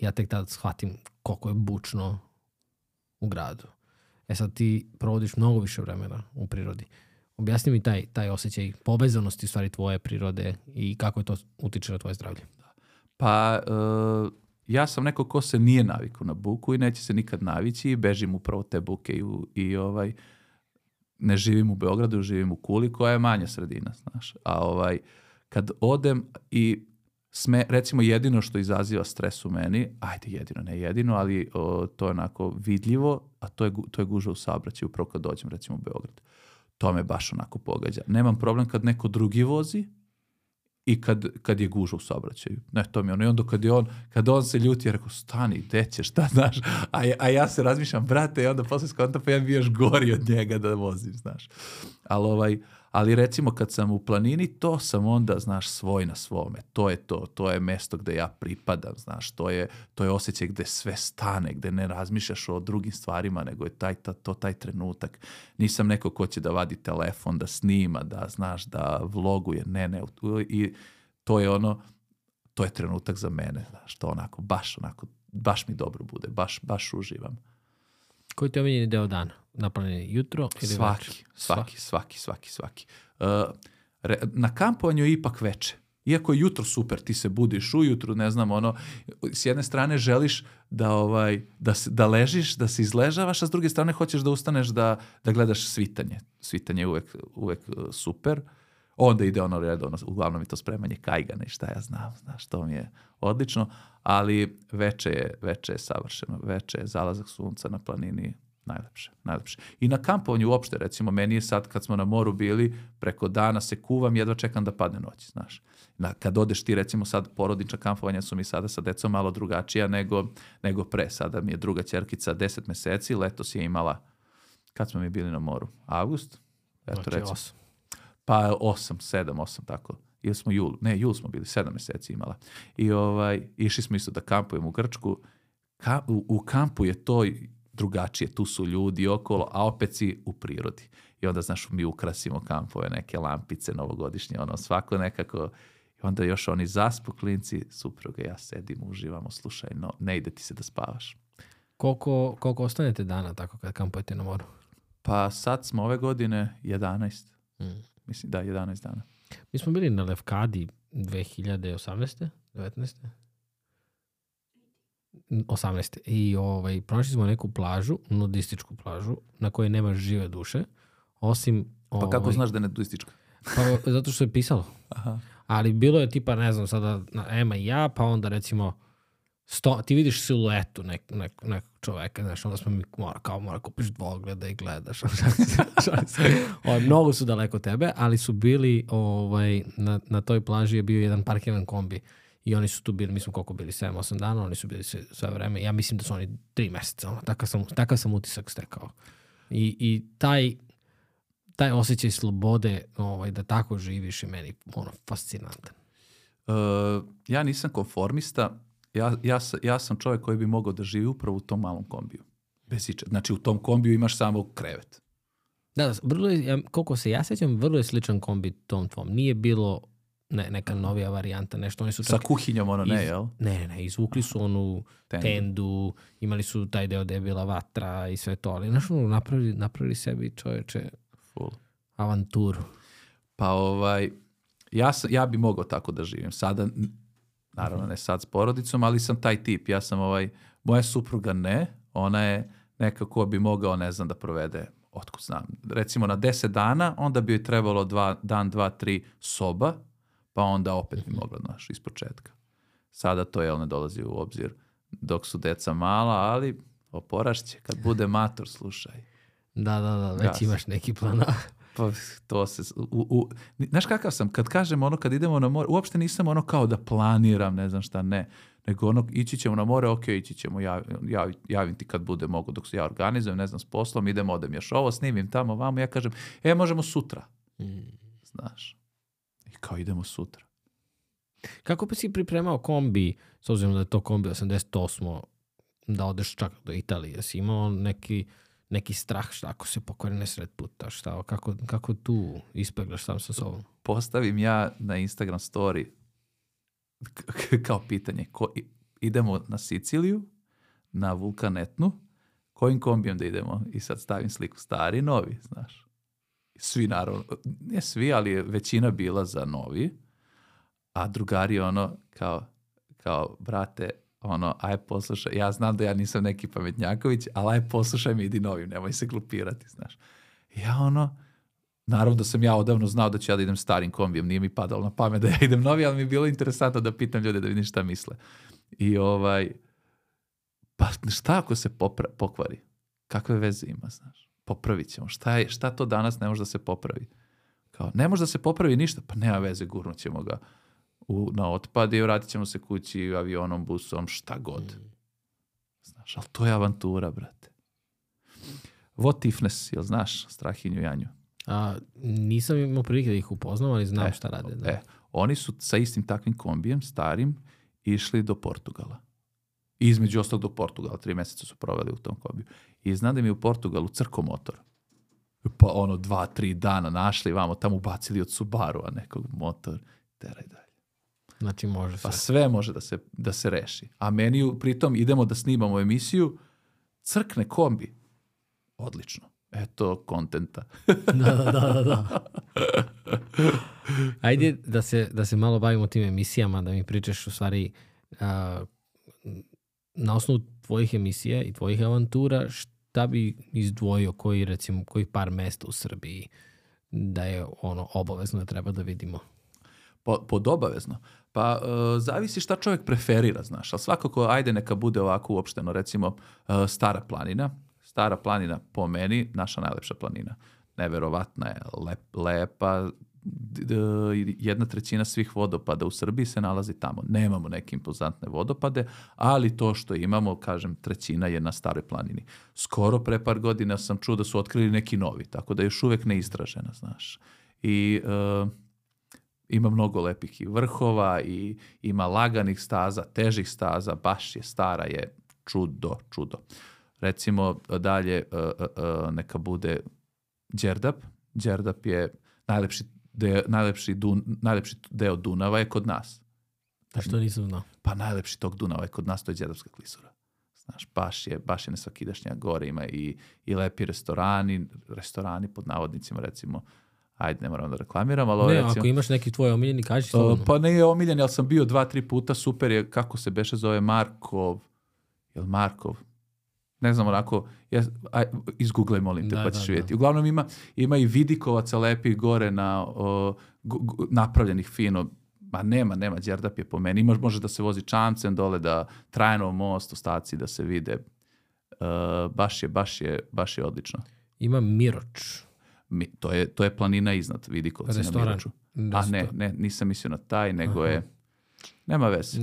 ja tek tad shvatim koliko je bučno u gradu. Sad ti provodiš mnogo više vremena u prirodi. Objasni mi taj osjećaj povezanosti stvari tvoje prirode i kako je to utiče na tvoje zdravlje. Pa ja sam neko ko se nije navikao na buku i neće se nikad navići i bežim upravo te buke i ne živim u Beogradu, živim u Kuli koja je manja sredina, znaš. A kad odem i recimo jedino što izaziva stres u meni, ne jedino, ali to je onako vidljivo, a to je gužva u saobraćaju upravo kad dođem recimo u Beograd. To me baš onako pogađa. Nemam problem kad neko drugi vozi i kad je gužva u saobraćaju. Ne, to mi je ono. I onda kad on se ljuti, ja rekao, stani, gde ćeš, šta znaš? A ja se razmišljam, brate, i onda posle skontam, pa ja bi još gori od njega da vozim, znaš. Ali recimo kad sam u planini, to sam onda, znaš, svoj na svome. To je mesto gde ja pripadam, znaš. To je osjećaj gde sve stane, gde ne razmišljaš o drugim stvarima, nego je taj trenutak. Nisam neko ko će da vadi telefon, da snima, da, znaš, da vloguje. Ne. I to je trenutak za mene, znaš. To baš mi dobro bude, baš uživam. Koji ti je omiljeni deo dana? Na planini jutro ili večer? Svaki. Na kampovanju je ipak veče. Iako je jutro super, ti se budiš ujutru, ne znam, s jedne strane želiš da ležiš, da se izležavaš, a s druge strane hoćeš da ustaneš da gledaš svitanje. Svitanje je uvek super. Onda ide redovno, uglavnom je to spremanje kajgana i šta ja znam, znaš, to mi je odlično, ali veče je savršeno, veče je zalazak sunca na planini najlepše. I na kampovanju uopšte, recimo, meni je sad kad smo na moru bili, preko dana se kuvam, jedva čekam da padne noć, znaš. Kad odeš ti, recimo sad porodična kampovanja su mi sada sa decom malo drugačija nego pre. Sada mi je druga ćerkica 10 meseci, letos je imala, kad smo mi bili na moru? Avgust? Eto, recimo. 8. Pa 8, tako. Ili smo jul smo bili, 7 meseci imala. I išli smo isto da kampujemo u Grčku. U kampu je to drugačije, tu su ljudi okolo, a opet si u prirodi. I onda, znaš, mi ukrasimo kampove, neke lampice novogodišnje, svako nekako. I onda još oni zaspu klinci, supruga, ja sedim, uživamo, slušaj, ne ide ti se da spavaš. Koliko ostanete dana tako kad kampujete na moru? Pa sad smo ove godine 11. Mislim, 11 dana. Mi smo bili na Lefkadi 2018. 19. 18. I pronašli smo neku plažu, nudističku plažu, na kojoj nema žive duše, osim... Pa kako znaš da je nudistička? Pa zato što je pisalo. Aha. Ali bilo je tipa, ne znam, sada Ema i ja, pa onda recimo ti vidiš siluetu nekog čoveka, znaš, onda smo mi mora kupiš dvogleda i gledaš. Mnogo su daleko tebe, ali su bili, na toj plaži je bio jedan parkiran kombi i oni su tu bili, mi smo koliko bili, 7-8 dana, oni su bili sve vreme, ja mislim da su oni 3 meseca, takav sam utisak stekao. I taj osjećaj slobode, da tako živiš je meni fascinantan. Ja nisam konformista. Ja sam čovjek koji bi mogao da živi upravo u tom malom kombiju. Znači u tom kombiju imaš samo krevet. Da, koliko se ja sjećam, vrlo je sličan kombi tom tvom. Nije bilo neka novija varijanta, nešto. Oni su sa kuhinjom jel? Ne, izvukli su onu tendu, imali su taj deo gde je bila vatra i sve to, ali napravili sebi, čovječe, full avanturu. Pa ja bi mogao tako da živim. Sada, naravno ne sad s porodicom, ali sam taj tip. Ja sam moja supruga ne, ona je nekako bi mogao, ne znam, da provede, otkud znam, recimo na 10 dana, onda bi joj trebalo 2, 3 soba, pa onda opet bi mogla, znaš, iz početka. Sada to ne dolazi u obzir dok su deca mala, ali oporašće, kad bude mator, slušaj. Da, već imaš neki plan. Pa to se... Znaš kakav sam? Kad kažem kad idemo na more, uopšte nisam kao da planiram, ne znam šta, ne. Nego ići ćemo na more, ok, ići ćemo, javim ti kad bude mogu, dok se ja organizujem, ne znam, s poslom, odem još ovo, snimim tamo, vamo, ja kažem, možemo sutra. Znaš. I kao idemo sutra. Kako bi si pripremao kombi, s obzirom da je to kombi 88. da odeš čak do Italije? Si imao neki strah šta ako se pokvari nesred puta? Šta, kako tu ispeglaš sam sa sobom? Postavim ja na Instagram story kao pitanje. Idemo na Siciliju, na Vulkan Etnu, kojim kombijem da idemo? I sad stavim sliku stari, novi, znaš. Svi naravno, ne svi, ali je većina bila za novi, a drugari ono kao brate, ono, aj poslušaj, ja znam da ja nisam neki pametnjaković, ali aj poslušaj mi, idi novim, nemoj se glupirati, znaš. Ja ono, naravno da sam ja odavno znao da ću ja da idem starim kombijem, nije mi padalo na pamet da ja idem novi, ali mi je bilo interesantno da pitam ljude da vidim šta misle. I pa šta ako se pokvari? Kakve veze ima, znaš? Popravit ćemo. Šta to danas ne može da se popravi? Kao, ne može da se popravi ništa, pa nema veze, gurnut ćemo ga na otpad i vratit ćemo se kući avionom, busom, šta god. Znaš, ali to je avantura, brate. What ifness, jel znaš, Strahinju Janju? Nisam imao prilike da ih upoznam, ali znam šta rade. Da. Oni su sa istim takvim kombijem, starim, išli do Portugala. I između ostalog do Portugala, 3 mjeseca su proveli u tom kombiju. I znam da mi je u Portugalu crko motor. Pa 2-3 dana našli, vamo tamo ubacili od Subaru-a nekog motor. Teraj dalje. Znači može pa sve može da se reši. A meni pritom idemo da snimamo emisiju, crkne kombi. Odlično. Eto, kontenta. Da. Ajde da se malo bavimo tim emisijama, da mi pričaš u stvari na osnovu tvojih emisija i tvojih avantura, šta bi izdvojio koji par mesta u Srbiji da je obavezno da treba da vidimo? Pod obavezno? Pa zavisi šta čovjek preferira, znaš, ali svakako ajde neka bude ovako uopšteno, recimo Stara planina. Stara planina po meni, naša najlepša planina. Neverovatna je, lepa, 1/3 svih vodopada u Srbiji se nalazi tamo. Nemamo neke impozantne vodopade, ali to što imamo, kažem, 1/3 je na Staroj planini. Skoro pre par godina sam čuo da su otkrili neki novi, tako da je još uvijek neistražena, znaš. I ima mnogo lepih i vrhova, i ima laganih staza, težih staza, baš je stara, je čudo. Recimo dalje neka bude Đerdap. Đerdap je najlepši deo Dunava je kod nas. A što nisam znao? Pa najlepši tog Dunava je kod nas, to je Đerdapska klisura. Znaš, baš je nesvakidašnja, gore ima i lepi restorani pod navodnicima, recimo. Ajde, ne moram da reklamiram, ali... Ne, recimo, ako imaš neki tvoj omiljeni, kaži slobodno. Pa ne je omiljen, ali sam bio 2-3 puta, super je, kako se beše zove, Markov? Ne znam, onako, izgooglaj, molim te, pa ćeš vidjeti. Uglavnom ima i vidikovaca lepih gore napravljenih fino. Ma nema, Đerdap je po meni. Može da se vozi čamcem dole, da Trajanov most, ostaci da se vide. Baš je odlično. Ima Miroč. To je planina iznad Vidikovca na Miroču. A ne, nisam mislio na taj, nego je... Nema veze.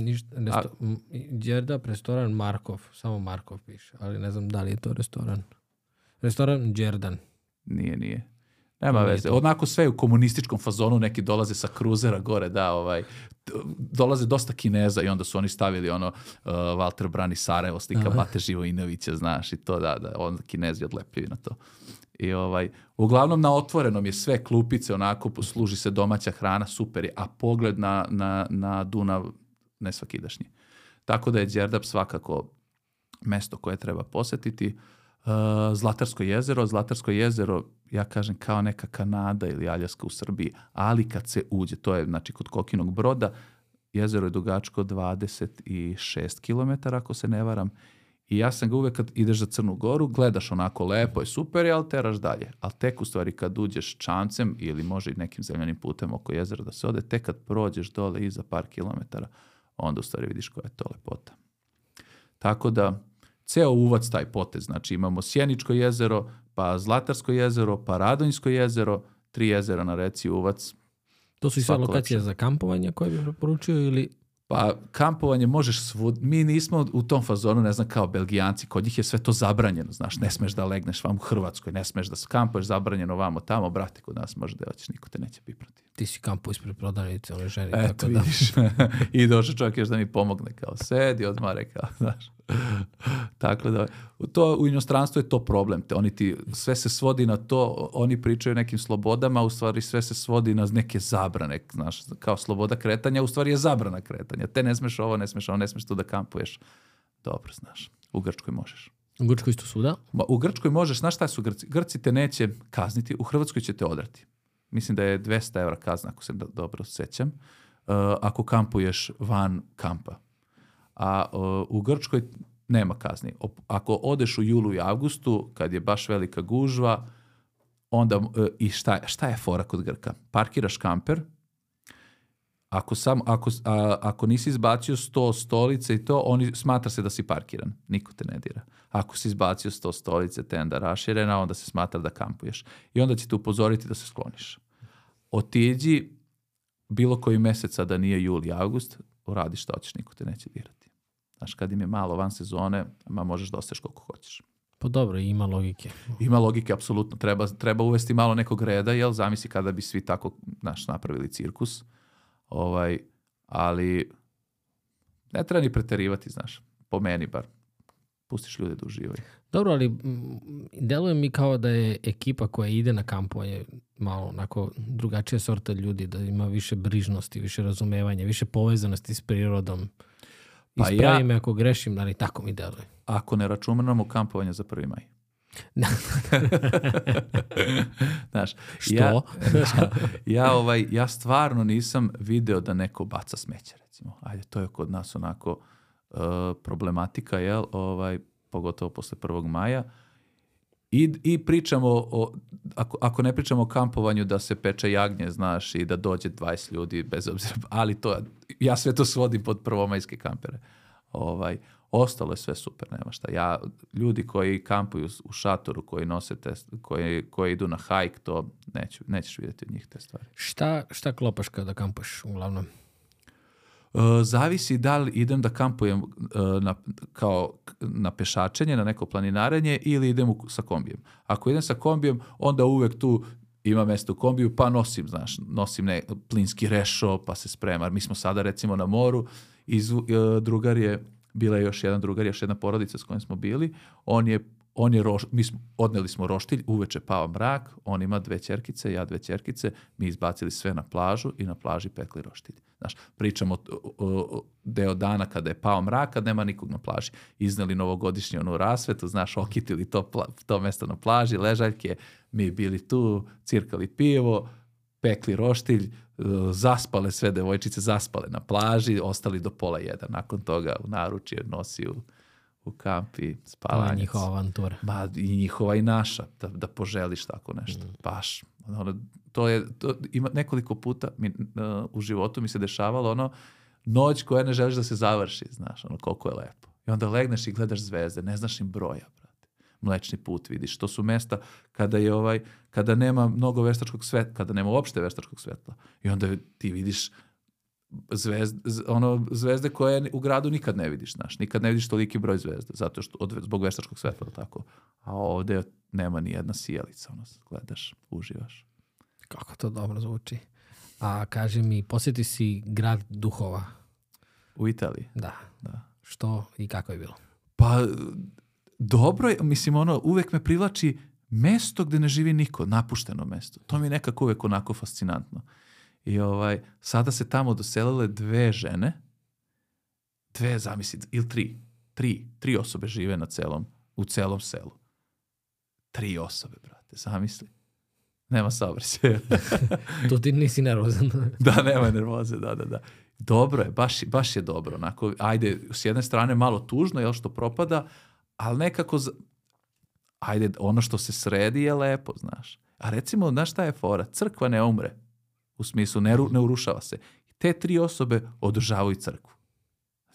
Đerdap, restoran Markov. Samo Markov piše, ali ne znam da li je to restoran. Restoran Đerdan. Nije. Nema veze. Onako sve u komunističkom fazonu, neki dolaze sa kruzera gore, dolaze dosta Kineza i onda su oni stavili Walter brani Sarajevo, slika Bate Živojinovića, znaš, i to onda Kinezi odlepljaju na to. I uglavnom na otvorenom je sve, klupice, onako služi se domaća hrana, super je, a pogled na Dunav nesvakidašnji. Tako da je Đerdap svakako mesto koje treba posjetiti. Zlatarsko jezero, ja kažem kao neka Kanada ili Aljaska u Srbiji, ali kad se uđe, to je znači kod Kokinog Broda, jezero je dugačko 26 km, ako se ne varam. I ja sam ga uvek kad ideš za Crnu Goru, gledaš onako lepo je, super je, ali teraš dalje. Ali tek u stvari kad uđeš čamcem ili može i nekim zemljanim putem oko jezera da se ode, tek kad prođeš dole iza par kilometara, onda u stvari vidiš koja je to lepota. Tako da, ceo uvac taj potez, znači imamo Sjeničko jezero, pa Zlatarsko jezero, pa Radonjsko jezero, 3 jezera na reci uvac. To su i sve lokacije za kampovanje koje bi preporučio ili... Pa kampovanje možeš mi nismo u tom fazonu, ne znam, kao Belgijanci, kod njih je sve to zabranjeno, znaš, ne smeš da legneš vam u Hrvatskoj, ne smeš da kampuješ, zabranjeno vamo tamo, brate, kod nas može da hoćeš, niko te neće pipnuti. Ti si kampu ispred prodavnice, one ženi. Eto, tako da. vidiš. I došao čovjek još da mi pomogne, kao sedi, odmare, kao, znaš. Tako da, u inostranstvu je to problem. Sve se svodi na to, oni pričaju o nekim slobodama, u stvari sve se svodi na neke zabrane, znaš, kao sloboda kretanja, u stvari je zabrana kretanja. Te ne smeš ovo, ne smeš tu da kampuješ. Dobro, znaš, u Grčkoj možeš. U Grčkoj isto suda? U Grčkoj možeš, znaš šta su Grci? Grci te neće kazniti, u Hrvatskoj će te odrati. Mislim da je 200 € kazna, ako se dobro sjećam, ako kampuješ van kampa. A u Grčkoj nema kazni. Ako odeš u julu i avgustu, kad je baš velika gužva, onda, i šta je fora kod Grka? Parkiraš kamper, ako nisi izbacio 100 stolice i to, smatra se da si parkiran. Niko te ne dira. Ako si izbacio 100 stolice, tenda raširena, onda se smatra da kampuješ. I onda će te upozoriti da se skloniš. Otiđi bilo koji mjeseca da nije jul i avgust, uradi šta hoćeš, niko te neće dirati. Znaš, kad im je malo van sezone, možeš da ostaješ koliko hoćeš. Pa dobro, ima logike. Ima logike, apsolutno. Treba uvesti malo nekog reda, jel? Zamisli kada bi svi tako, napravili cirkus. Ali ne treba ni preterivati, znaš. Po meni bar. Pustiš ljude da uživaju. Dobro, ali deluje mi kao da je ekipa koja ide na kampovanje malo onako drugačija sorta ljudi, da ima više brižnosti, više razumevanja, više povezanosti s prirodom. Pa ispravi me ako grešim, ali tako mi deluje. Ako ne računamo kampovanje za 1. maj. Znaš, što? Ja stvarno nisam video da neko baca smeće, recimo. Ajde, to je kod nas onako problematika, jel? Pogotovo posle 1. maja. I pričamo ako ne pričamo o kampovanju da se peče jagnje, znaš, i da dođe 20 ljudi bez obzira, ali ja sve to svodim pod prvomajske kampere. Ostalo je sve super, nema šta. Ljudi koji kampuju u šatoru, koji nose koji idu na hajk, to nećeš vidjeti od njih te stvari. Šta klopaš kada kampuješ uglavnom? Zavisi da li idem da kampujem na pešačenje, na neko planinarenje ili idem sa kombijem. Ako idem sa kombijem, onda uvek tu ima mjesto u kombiju, pa nosim plinski rešo, pa se sprema. Mi smo sada recimo na moru, bila je još jedna porodica s kojom smo bili, odneli smo roštilj, uveče pao mrak, on ima 2 ćerkice, ja 2 ćerkice, mi izbacili sve na plažu i na plaži pekli roštilj. Znaš, pričamo o deo dana kada je pao mrak, kad nema nikog na plaži. Izneli novogodišnju onu rasvetu, znaš, okitili to mjesto na plaži, ležaljke, mi bili tu, cirkali pivo, pekli roštilj, zaspale sve devojčice, zaspale na plaži, ostali do 12:30. Nakon toga u naručje nosi u kamp i spavanjac. To je njihova avantura. I njihova i naša, da poželiš tako nešto. Baš. Ima nekoliko puta u životu mi se dešavalo noć koja ne želiš da se završi, znaš, koliko je lepo. I onda legneš i gledaš zvezde, ne znaš im broja, brate. Mlečni put vidiš. To su mesta kada nema mnogo veštačkog svetla, kada nema uopšte veštačkog svetla. I onda ti vidiš zvezde koje u gradu nikad ne vidiš, znaš. Nikad ne vidiš toliki broj zvezda, zato što zbog veštačkog svetla, tako. A ovdje nema ni jedna sijalica, gledaš, uživaš. Kako to dobro zvuči. A kaži mi, posjeti si grad duhova. U Italiji? Da. Što i kako je bilo? Pa, dobro je, mislim, uvek me privlači mesto gde ne živi niko, napušteno mesto. To mi je nekako uvek onako fascinantno. I sada se tamo doselile 2 žene, 2, zamisli, ili 3 osobe žive u celom selu. 3 osobe, brate, zamisli. Nema saobraćaja. Tu ti nisi nervozan. Da, nema nervoze, da. Dobro je, baš je dobro. Onako, ajde, s jedne strane malo tužno, jel, što propada, ali nekako, ajde, ono što se sredi je lepo, znaš. A recimo, znaš šta je fora? Crkva ne umre. U smislu, ne urušava se. Te 3 osobe održavaju crkvu.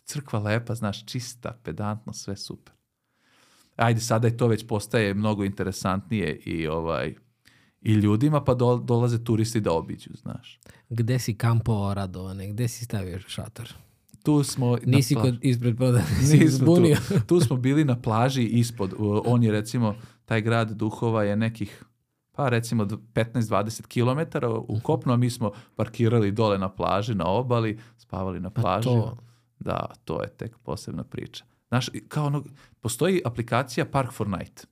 Crkva lepa, znaš, čista, pedantno, sve super. Ajde, sada je to već postaje mnogo interesantnije i ljudima, pa dolaze turisti da obiđu, znaš. Gde si kampovao, Radovane? Gde si stavio šator? Tu smo... Nisi ispred prodavnice zbunio. Tu smo bili na plaži ispod. On je, recimo, taj grad duhova je nekih pa recimo 15-20 km u kopnu, a mi smo parkirali dole na plaži, na obali, spavali na plaži. Da, to je tek posebna priča. Znaš, kao ono, postoji aplikacija Park for Night.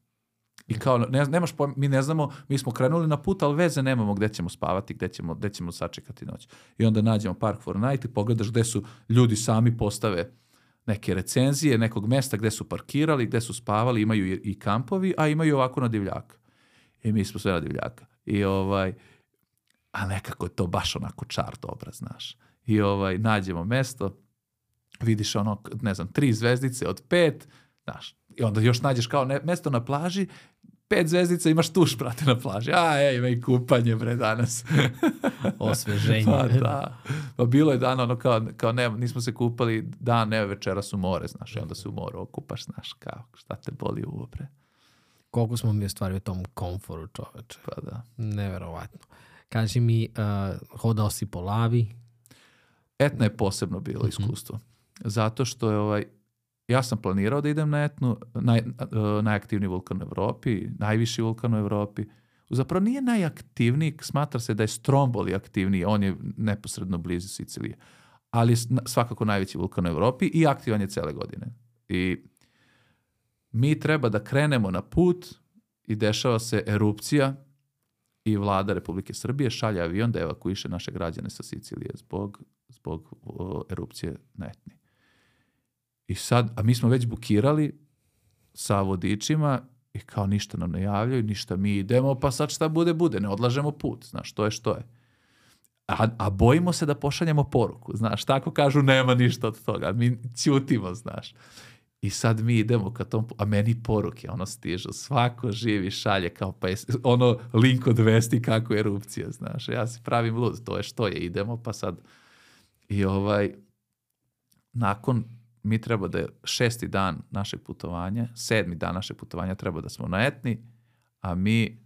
I kao, nemaš pojma, mi ne znamo, mi smo krenuli na put, ali veze nemamo gde ćemo spavati, gde ćemo sačekati noć. I onda nađemo Park for Night i pogledaš gde su ljudi sami postave neke recenzije, nekog mesta gde su parkirali, gde su spavali, imaju i kampovi, a imaju ovako na divljaka. I mi smo sve na divljaka. I a nekako je to baš onako čar dobra, znaš. I nađemo mesto, vidiš ono, ne znam, 3 zvezdice od 5, znaš. I onda još nađeš kao mesto na plaži, 5 zvezdica, imaš tuš, brate, na plaži. Ima i kupanje, bre, danas. Osveženje. Pa da. Pa bilo je dan, ono, kao nismo se kupali, dan, večeras u more, znaš, i onda se u moru okupaš, znaš, kao, šta te boli uvo, bre. Koliko smo mi ostvarili u tom komforu, čoveče. Pa da. Neverovatno. Kaži mi, hodao si po lavi? Etna je posebno bilo iskustvo. Zato što je ja sam planirao da idem na Etnu, najaktivniji vulkan u Evropi, najviši vulkan u Evropi. Zapravo nije najaktivniji, smatra se da je Stromboli aktivniji, on je neposredno blizu Sicilije. Ali je svakako najveći vulkan u Evropi i aktivan je cele godine. I mi treba da krenemo na put i dešava se erupcija i vlada Republike Srbije šalje avion da evakuiše naše građane sa Sicilije zbog erupcije na Etni. I sad, a mi smo već bukirali sa vodičima i kao ništa nam ne javljaju, ništa, mi idemo, pa sad šta bude, ne odlažemo put, znaš, to je što je. A bojimo se da pošaljemo poruku, znaš, tako kažu, nema ništa od toga, mi ćutimo, znaš. I sad mi idemo ka tom, a meni poruke, ono stižu, svako živi šalje, kao pa je, ono link od vesti kako je erupcija, znaš, ja se pravim lud, to je što je, idemo, pa sad, i nakon, mi treba da je 6. dan našeg putovanja, 7. dan našeg putovanja treba da smo na Etni, a mi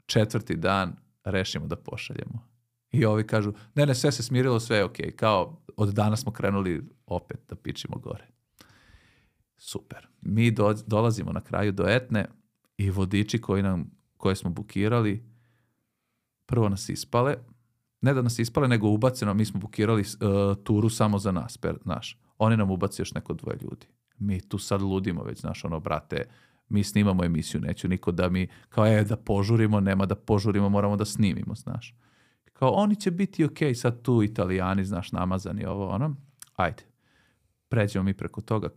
4. dan rešimo da pošaljemo. I ovi kažu, ne, sve se smirilo, sve je okej. Kao od danas smo krenuli opet da pičimo gore. Super. Mi dolazimo na kraju do Etne i vodiči koje smo bukirali, prvo nas ispale, ne da nas ispale, nego ubaceno, mi smo bukirali turu samo za nas, naš. Oni nam ubaci još neko 2 ljudi. Mi tu sad ludimo već, znaš, ono, brate, mi snimamo emisiju, neću niko da mi, kao da požurimo, nema da požurimo, moramo da snimimo, znaš. Kao, oni će biti okej, sad tu Italijani, znaš, namazani, ovo, ono, ajde. Pređemo mi preko toga,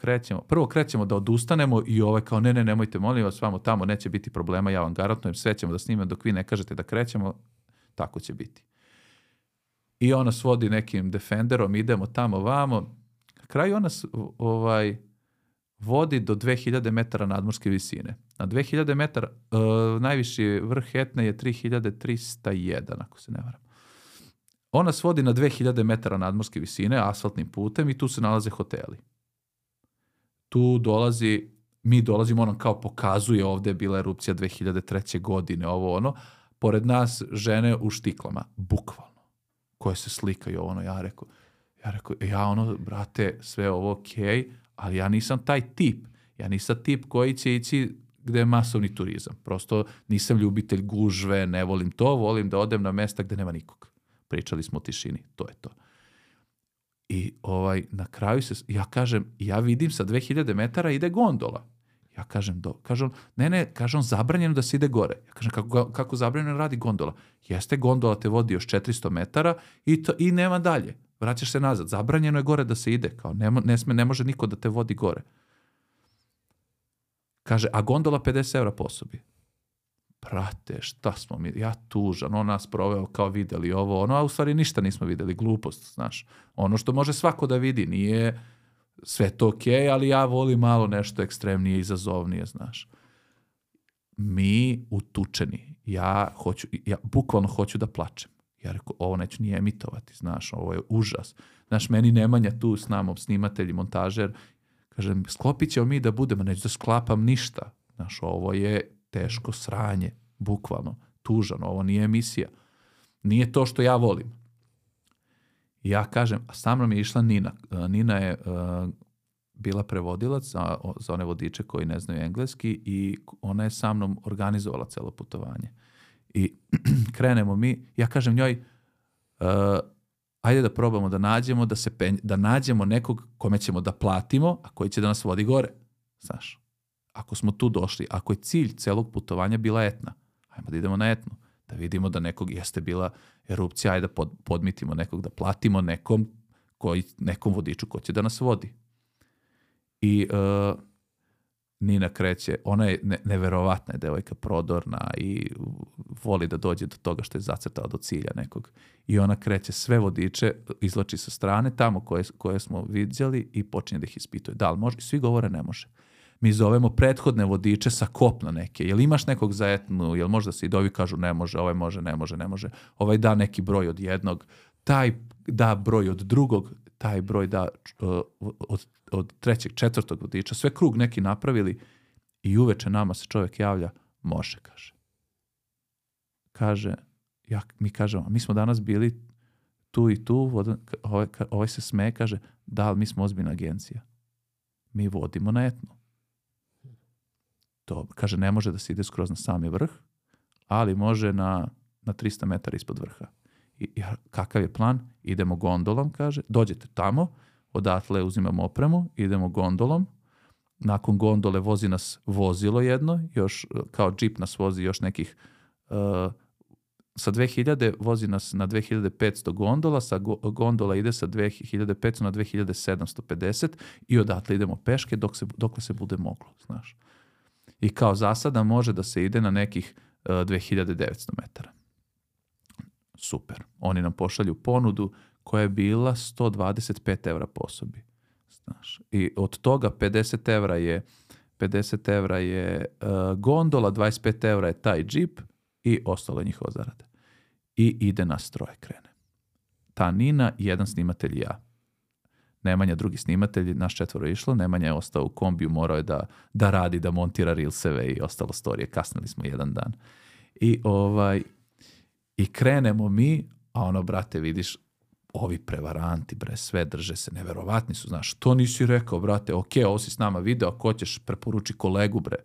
prvo krećemo da odustanemo i kao, ne, nemojte, molim vas, vamo tamo, neće biti problema, ja vam garantujem, sve ćemo da snimamo dok vi ne kažete da krećemo, tako će biti. I ona nas vodi nekim Defenderom, idemo tamo, vamo. Na kraju ona vodi do 2000 metara nadmorske visine. Na 2000 metara, najviši vrh Etne je 3301, ako se ne varam. Ona nas vodi na 2000 metara nadmorske visine, asfaltnim putem, i tu se nalaze hoteli. Tu mi dolazimo, on kao pokazuje, ovdje je bila erupcija 2003. godine, ovo ono, pored nas žene u štiklama, bukvalno, koje se slikaju, ono, ja rekao, brate, sve ovo okej, ali ja nisam taj tip. Ja nisam tip koji će ići gde je masovni turizam. Prosto nisam ljubitelj gužve, ne volim to, volim da odem na mesta gde nema nikog. Pričali smo o tišini, to je to. I na kraju ja kažem, ja vidim sa 2000 metara ide gondola. Ja kažem, kažem, zabranjeno da se ide gore. Ja kažem, kako zabranjeno radi gondola? Jeste, gondola te vodi još 400 metara i nema dalje. Vraćaš se nazad. Zabranjeno je gore da se ide. Kao, ne može niko da te vodi gore. Kaže, a gondola 50 € po osobi. Prate, šta smo mi? Ja tužan. On nas proveo kao videli ovo. A u stvari ništa nismo videli. Glupost, znaš. Ono što može svako da vidi. Nije sve to okej, ali ja volim malo nešto ekstremnije, izazovnije, znaš. Mi utučeni. Ja bukvalno hoću da plačem. Ja rekao, ovo neću ni emitovati, znaš, ovo je užas. Znaš, meni Nemanja tu s nama, snimatelj i montažer, kažem, sklopit ćemo mi da budemo, neću da sklapam ništa. Znaš, ovo je teško sranje, bukvalno, tužano, ovo nije emisija. Nije to što ja volim. I ja kažem, a sa mnom je išla Nina. Nina je bila prevodilac za one vodiče koji ne znaju engleski i ona je sa mnom organizovala celo putovanje. I krenemo mi, ja kažem njoj, ajde da probamo da nađemo, da nađemo nekog kome ćemo da platimo, a koji će da nas vodi gore. Znaš, ako smo tu došli, ako je cilj celog putovanja bila Etna, ajmo da idemo na Etnu, da vidimo da nekog jeste bila erupcija, ajde da podmitimo nekog, da platimo nekom vodiču ko će da nas vodi. I Nina kreće, ona je neverovatna devojka, prodorna i voli da dođe do toga što je zacrtala do cilja nekog. I ona kreće sve vodiče, izvlači sa strane tamo koje smo vidjeli i počinje da ih ispituje. Da li može? I svi govore ne može. Mi zovemo prethodne vodiče sa kopna neke. Jel imaš nekog za Etnu? Jel možda se i dovi kažu ne može, ovaj može, ne može. Ovaj da neki broj od jednog, taj da broj od drugog, taj broj da od trećeg, četvrtog vodiča, sve krug neki napravili i uveče nama se čovjek javlja, može, kaže. Kaže, mi kažemo, mi smo danas bili tu i tu, ovaj se smeje, kaže, da, ali mi smo ozbiljna agencija. Mi vodimo na Etnu. To, kaže, ne može da se ide skroz na sami vrh, ali može na 300 metara ispod vrha. I kakav je plan? Idemo gondolom, kaže, dođete tamo, odatle uzimamo opremu, idemo gondolom, nakon gondole vozi nas vozilo jedno, još kao džip nas vozi još nekih, sa 2000 vozi nas na 2500 gondola, sa gondola ide sa 2500 na 2750 i odatle idemo peške dokle se bude moglo, znaš. I kao zasada može da se ide na nekih 2900 metara. Super. Oni nam pošalju ponudu koja je bila 125 evra po osobi. Znaš. I od toga 50 evra je gondola, 25 evra je taj džip i ostalo je njihova zarada. I ide nas troje krene. Ta Nina, jedan snimatelj i ja. Nemanja drugi snimatelj, naš 4 je išlo, Nemanja je ostao u kombiju, morao je da radi, da montira reelseve i ostalo storije. Kasnili smo jedan dan. I krenemo mi, a ono, brate, vidiš, ovi prevaranti, bre, sve drže se, neverovatni su, znaš, što nisi rekao, brate, ok, ovo si s nama video, ako hoćeš, preporuči kolegu, bre.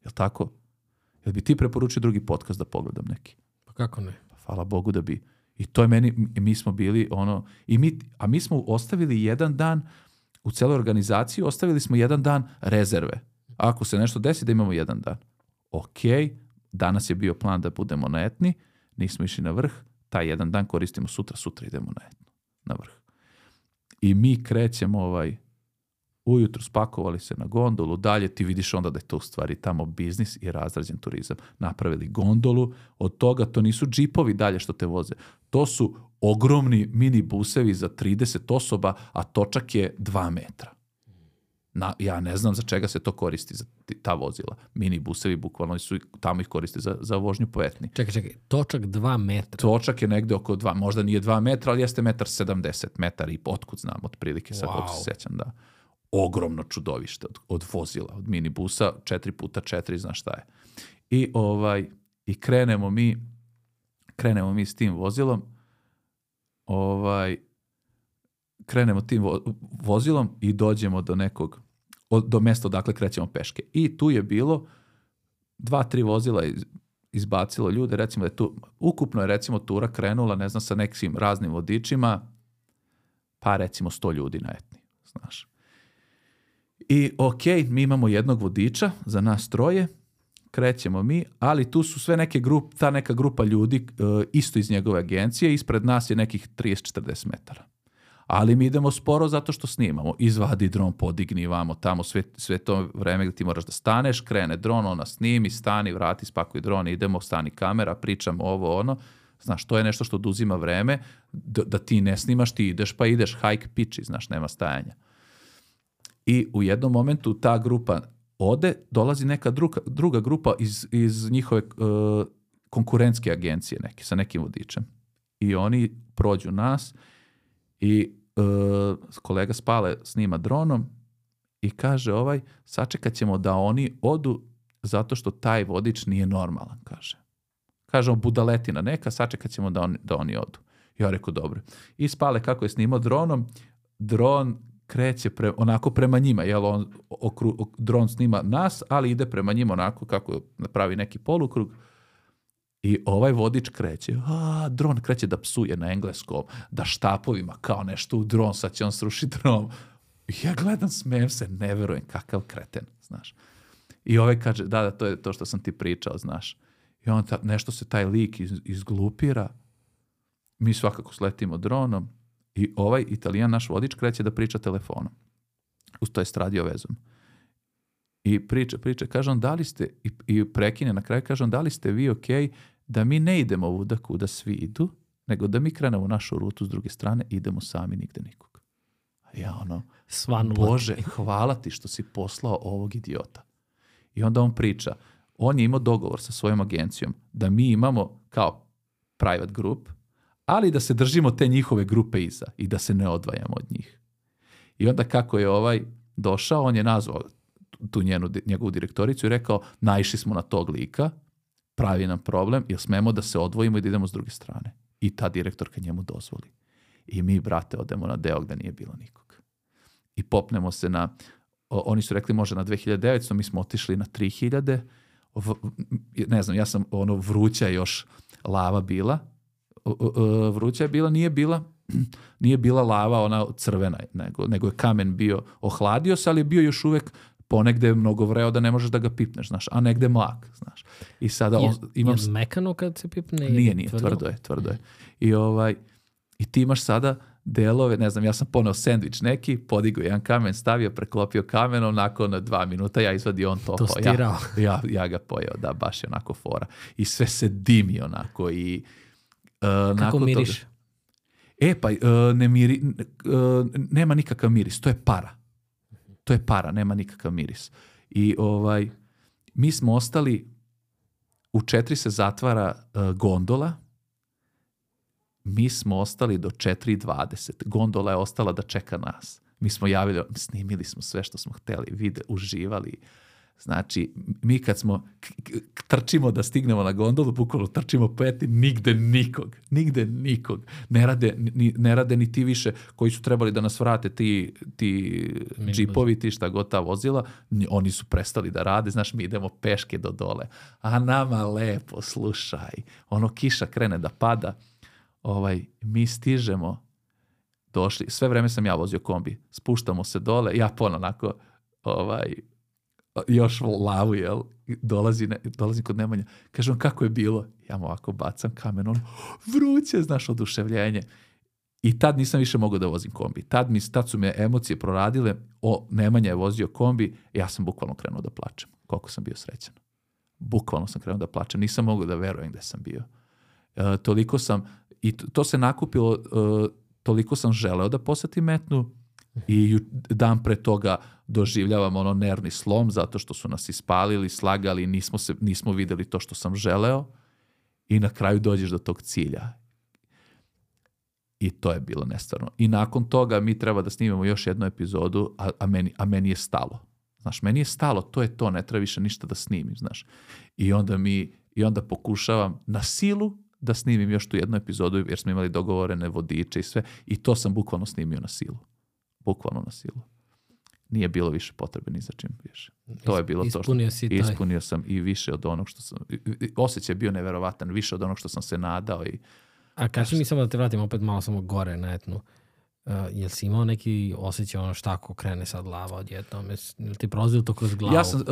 Jel tako? Jel bi ti preporučio drugi podcast da pogledam neki? Pa kako ne? Pa hvala Bogu da bi. I to je mi smo bili, a mi smo ostavili jedan dan, u celoj organizaciji ostavili smo jedan dan rezerve. Ako se nešto desi, da imamo jedan dan. Ok, danas je bio plan da budemo na Etni, nismo išli na vrh, taj jedan dan koristimo sutra idemo na vrh. I mi krećemo ujutru, spakovali se na gondolu, dalje ti vidiš onda da je to u stvari tamo biznis i razrađen turizam. Napravili gondolu, od toga to nisu džipovi dalje što te voze, to su ogromni mini busevi za 30 osoba, a točak je 2 metra. Ja ne znam za čega se to koristi, za ta vozila. Mini busevi, bukvalno tamo ih koriste za vožnju po Etni. Čekaj, točak 2 metra. Točak je negde oko 2, možda nije 2 metra, ali jeste 1,70 metara i otkud znam, otprilike, sad kako se sećam, da. Ogromno čudovište od vozila, od minibusa, 4x4, znaš šta je. I krenemo mi s tim vozilom, krenemo tim vozilom i dođemo do mesta odakle krećemo peške. I tu je bilo 2-3 vozila izbacilo ljude, recimo da je tu, ukupno je recimo tura krenula, ne znam, sa nekim raznim vodičima, pa recimo 100 ljudi na Etni, znaš. I ok, mi imamo jednog vodiča za nas troje, krećemo mi, ali tu su sve ta neka grupa ljudi isto iz njegove agencije, ispred nas je nekih 30-40 metara. Ali mi idemo sporo zato što snimamo. Izvadi dron, podigni vamo tamo, sve to vreme gdje ti moraš da staneš, krene dron, ona snimi, stani, vrati, spakuj dron, idemo, stani kamera, pričamo ovo, ono. Znaš, to je nešto što oduzima vreme, da ti ne snimaš, ti ideš pa ideš, hike piči, znaš, nema stajanja. I u jednom momentu ta grupa ode, dolazi neka druga grupa iz njihove konkurentske agencije neke, sa nekim vodičem. I oni prođu nas i kolega Spale snima dronom i kaže sačekat ćemo da oni odu zato što taj vodič nije normalan, kaže. Kažemo budaletina neka, sačekat ćemo da oni odu. Ja rekao dobro. I Spale kako je snimao dronom, dron kreće onako prema njima, jel dron snima nas, ali ide prema njima onako kako napravi neki polukrug I ovaj vodič kreće, dron kreće da psuje na engleskom, da štapovima kao nešto u dron, sad će on srušiti dron. I ja gledam, smijem se, ne verujem, kakav kreten, znaš. I ovaj kaže, da, to je to što sam ti pričao, znaš. I on nešto se taj lik izglupira, mi svakako sletimo dronom i ovaj Italijan, naš vodič, kreće da priča telefonom. To je radio vezom. I priča, kaže on, da li ste, i prekine na kraju, kaže on, da li ste vi okej da mi ne idemo ovuda kuda svi idu, nego da mi krenemo našu rutu s druge strane, idemo sami, nigde nikog. A ja Bože, hvala ti što si poslao ovog idiota. I onda on priča, on je imao dogovor sa svojom agencijom da mi imamo kao private group, ali da se držimo te njihove grupe iza i da se ne odvajamo od njih. I onda kako je ovaj došao, on je nazvao tu njegovu direktoricu i rekao, naišli smo na tog lika, pravi nam problem, jer smemo da se odvojimo i da idemo s druge strane. I ta direktorka njemu dozvoli. I mi, brate, odemo na deo gde nije bilo nikog. I popnemo se na, oni su rekli može na 2900, mi smo otišli na 3000, ne znam, ja sam vruća još lava bila, vruća je bila, nije bila lava ona crvena, nego je kamen bio, ohladio se, ali je bio još uvek ponegde mnogo vreo da ne možeš da ga pipneš, znaš, a negde mlak, znaš. I sada je mekano kad se pipne? Nije, tvrdo je. I ti imaš sada delove, ne znam, ja sam poneo sendvič neki, podigao jedan kamen, stavio, preklopio kamenom, nakon 2 minuta ja izvadio, on to tostirao. Ja ga pojeo, da, baš je onako fora. I sve se dimi onako i kako miriš? Nema nikakav miris, to je para, nema nikakav miris. I mi smo ostali, u 4 se zatvara gondola, mi smo ostali do 4:20. Gondola je ostala da čeka nas. Mi smo javili, snimili smo sve što smo hteli, uživali. Znači, mi kad smo trčimo da stignemo na gondolu, bukvalno trčimo nigde nikog. Ne rade ni ti više koji su trebali da nas vrate, ti džipovi, ti šta god ta vozila, oni su prestali da rade, znaš, mi idemo peške do dole. A nama lepo, slušaj, kiša krene da pada, mi stižemo, došli, sve vreme sam ja vozio kombi, spuštamo se dole, ja onako, još lavu, jel, dolazi kod Nemanja, kaže on, kako je bilo? Ja mu ovako bacam kamen, vruće, znaš, oduševljenje. I tad nisam više mogao da vozim kombi. Tad su me emocije proradile, Nemanja je vozio kombi, ja sam bukvalno krenuo da plačem. Koliko sam bio srećan. Bukvalno sam krenuo da plačem. Nisam mogao da verujem gde sam bio. Toliko sam, i to se nakupilo, toliko sam želeo da posetim Metnu i dan pre toga doživljavam nervni slom zato što su nas ispalili, slagali, nismo videli to što sam želeo i na kraju dođeš do tog cilja. I to je bilo nestvarno. I nakon toga mi treba da snimamo još jednu epizodu, a meni je stalo. Znaš, meni je stalo, to je to, ne treba više ništa da snimim, znaš. I onda pokušavam na silu da snimim još tu jednu epizodu, jer smo imali dogovorene vodiče i sve, i to sam bukvalno snimio na silu. Bukvalno na silu. Nije bilo više potrebe ni za čim više. To je bilo to što... Ispunio sam i više od onog što sam... Osjećaj je bio neverovatan, više od onog što sam se nadao. A kaži mi samo da te vratim opet malo samo gore na Etnu. Jel si imao neki osjećaj šta ako krene sad lava odjednom? Jel ti prolazilo to kroz glavu? Ja sam...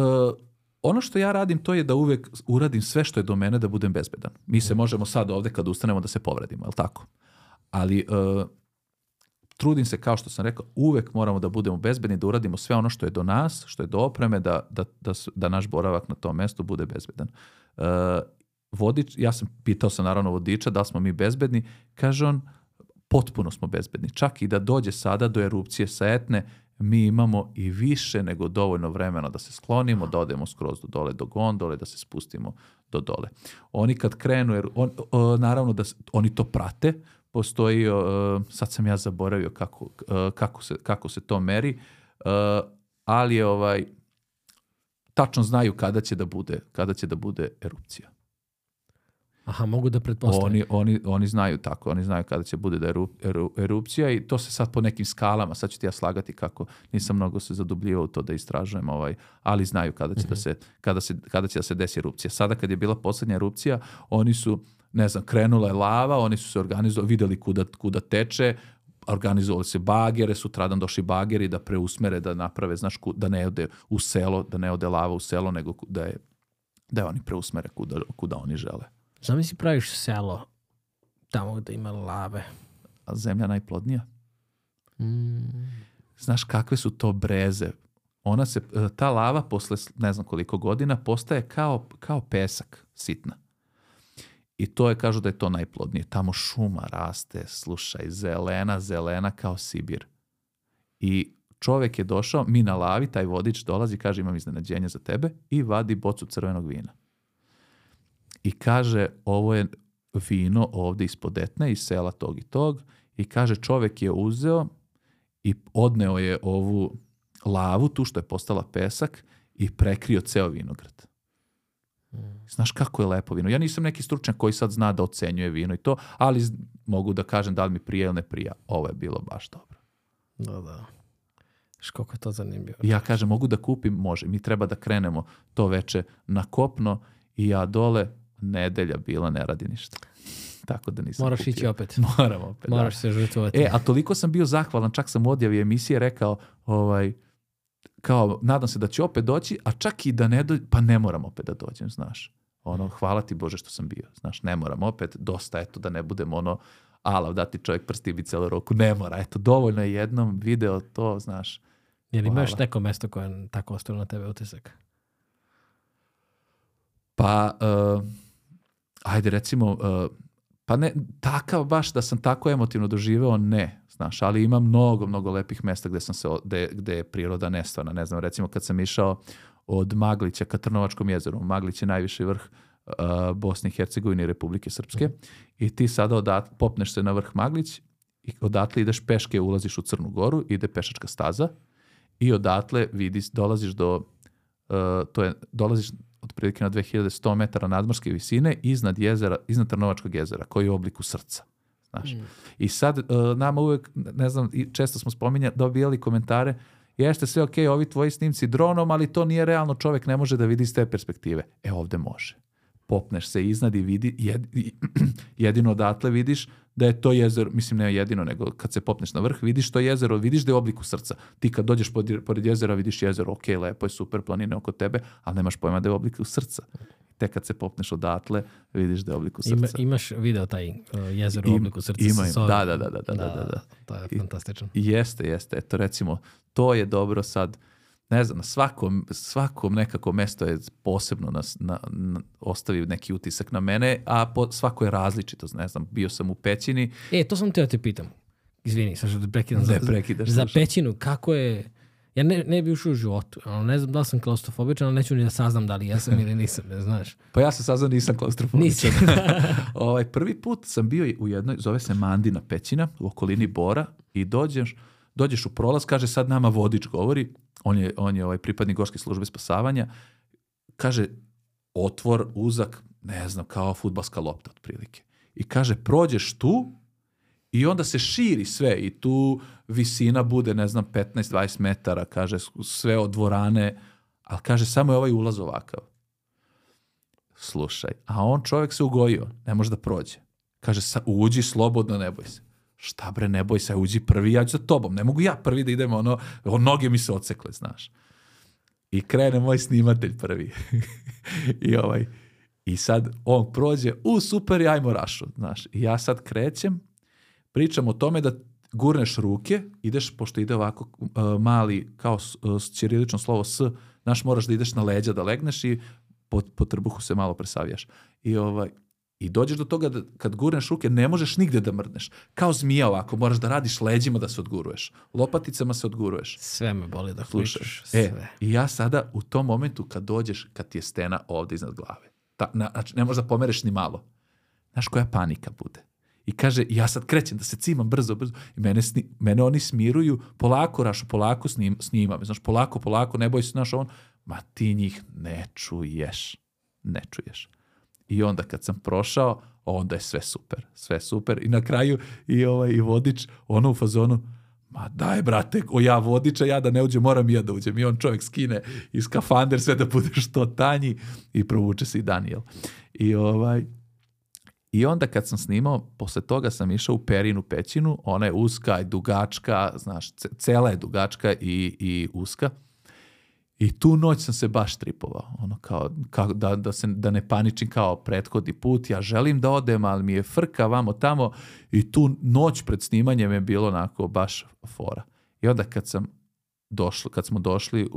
Ono što ja radim, to je da uvek uradim sve što je do mene da budem bezbedan. Mi se možemo sad ovde kad ustanemo da se povredimo, je li tako? Ali trudim se, kao što sam rekao, uvek moramo da budemo bezbedni, da uradimo sve ono što je do nas, što je do opreme, da naš boravak na tom mestu bude bezbedan. Vodič, ja sam pitao naravno vodiča da smo mi bezbedni, kaže on, potpuno smo bezbedni. Čak i da dođe sada do erupcije sa Etne, mi imamo i više nego dovoljno vremena da se sklonimo, da odemo skroz do dole, do gondole, da se spustimo do dole. Oni kad krenu, naravno da oni to prate, postoji, sad sam ja zaboravio kako se to meri, ali tačno znaju kada će da bude erupcija. Aha, mogu da pretpostavim. Oni znaju tako, oni znaju kada će bude da je erupcija i to se sad po nekim skalama, sad ću ti ja slagati kako nisam mnogo se zadubljivao u to da istražujem, ali znaju kada će, kada će da se desi erupcija. Sada kad je bila posljednja erupcija, oni su, ne znam, krenula je lava, oni su se organizovali, vidjeli kuda teče, organizovali se bagere, sutradan došli bageri da preusmere, da naprave, znaš, da ne ode u selo, da ne ode lava u selo, nego da oni preusmere kuda oni žele. Znam li si praviš selo tamo gde ima lave? A zemlja najplodnija? Znaš kakve su to breze? Ta lava posle ne znam koliko godina postaje kao pesak sitna. I to je, kažu da je to najplodnije. Tamo šuma raste, slušaj, zelena kao Sibir. I čovjek je došao, mi na lavi, taj vodič dolazi, kaže imam iznenađenje za tebe i vadi bocu crvenog vina. I kaže, ovo je vino ovdje ispod Etne, iz sela tog i tog. I kaže, čovjek je uzeo i odneo je ovu lavu, tu što je postala pesak, i prekrio ceo vinograd. Znaš kako je lepo vino. Ja nisam neki stručnjak koji sad zna da ocenjuje vino i to, ali mogu da kažem da li mi prija ili ne prija. Ovo je bilo baš dobro. Da. Koliko je to zanimljivo. Ja kažem, mogu da kupim? Može. Mi treba da krenemo to veče na kopno i ja dole, nedelja bila, ne radi ništa. Tako da nisam Moraš kupio. ići opet. Moram opet. Moraš se žrtvovati. A toliko sam bio zahvalan, čak sam u odjavi emisije rekao, kao, nadam se da će opet doći, a čak i da ne dođe, pa ne moram opet da dođem, znaš. Hvala ti Bože što sam bio, znaš, ne moram opet, dosta, eto, da ne budem alav, da ti čovjek prsti bi celu roku, ne mora, eto, dovoljno je jednom video to, znaš. Je li imaš neko mesto koje je tako ostavilo na tebe utisak? Pa, ajde, recimo, pa ne, takav baš da sam tako emotivno doživeo, ne, znaš, ali ima mnogo lepih mesta gde je priroda nestvarna, ne znam, recimo kad sam išao od Maglića ka Trnovačkom jezeru, Maglić je najviši vrh Bosne i Hercegovine i Republike Srpske i ti sada popneš se na vrh Maglić i odatle ideš peške, ulaziš u Crnu Goru, ide pešačka staza i odatle dolaziš dolaziš otprilike na 2100 metara nadmorske visine iznad Trnovačkog jezera, koji je u obliku srca. Znaš. I sad nama uvek, ne znam, često smo dobijali komentare, jeste sve ok, ovi tvoji snimci dronom, ali to nije realno, čovjek ne može da vidi iz te perspektive. Ovdje može. Popneš se iznad i vidi, jedino odatle vidiš da je to jezero, mislim ne jedino, nego kad se popneš na vrh, vidiš to jezero, vidiš da je u obliku srca. Ti kad dođeš pored jezera, vidiš jezero, ok, lepo je, super, planine oko tebe, ali nemaš pojma da je u obliku srca. Te kad se popneš odatle, vidiš da je u obliku srca. Imaš video taj jezero u obliku srca? Da. To je fantastično. Jeste. Eto, recimo, to je dobro sad. Ne znam, svakom nekako mesto je posebno ostavi neki utisak na mene, a svako je različito. Ne znam, bio sam u Pećini. To sam te pitam. Izvini, sad što te prekidam. Ne prekidaš. Za Pećinu, kako je... Ja ne bi ušao u životu. Ne znam da li sam klaustrofobičan, ali neću ni da saznam da li jesam ili nisam, ne znaš. Pa ja se saznam nisam klaustrofobičan. Prvi put sam bio u jednoj, zove se Mandina Pećina, u okolini Bora, i dođeš u prolaz, kaže sad nama vodič govori, on je pripadnik Gorske službe spasavanja, kaže otvor, uzak, ne znam, kao fudbalska lopta otprilike. I kaže prođeš tu i onda se širi sve i tu visina bude, ne znam, 15-20 metara, kaže sve od dvorane, ali kaže samo je ovaj ulaz ovakav. Slušaj, a on čovjek se ugojio, ne može da prođe. Kaže, uđi slobodno, ne boj se. Šta bre, ne boj se, uđi prvi, ja ću za tobom. Ne mogu ja prvi da idem, noge mi se odsekle, znaš. I krene moj snimatelj prvi. I sad on prođe, super, ajmo rašu, znaš. I ja sad krećem, pričam o tome da gurneš ruke, ideš, pošto ide ovako mali, kao ćirilično slovo S, znaš, moraš da ideš na leđa, da legneš i po trbuhu se malo presavijaš. I dođeš do toga da kad gurneš ruke ne možeš nigde da mrdneš. Kao zmija ovako, moraš da radiš leđima da se odguruješ. Lopaticama se odguruješ. Sve me boli da slušaš. I ja sada u tom momentu kad dođeš, kad ti je stena ovdje iznad glave, znači ne možeš da pomereš ni malo. Znaš koja panika bude. I kaže, ja sad krećem da se cimam brzo. I mene oni smiruju, polako Rašo, polako snimam. Znaš, polako, ne boj se, znaš, ma ti njih ne čuješ. I onda kad sam prošao, onda je sve super. I na kraju i vodič, ono u fazonu, ma daj brate, ja vodiča, ja da ne uđem, moram ja da uđem. I on čovjek skine i skafander sve da bude što tanji i provuče se i Daniel. I onda kad sam snimao, posle toga sam išao u Perinu pećinu, ona je uska i dugačka, znaš, cela je dugačka i uska. I tu noć sam se baš tripovao, ono kao da ne paničim kao prethodni put, ja želim da odem, ali mi je frka vamo tamo i tu noć pred snimanjem je bilo onako baš fora. I onda kad smo došli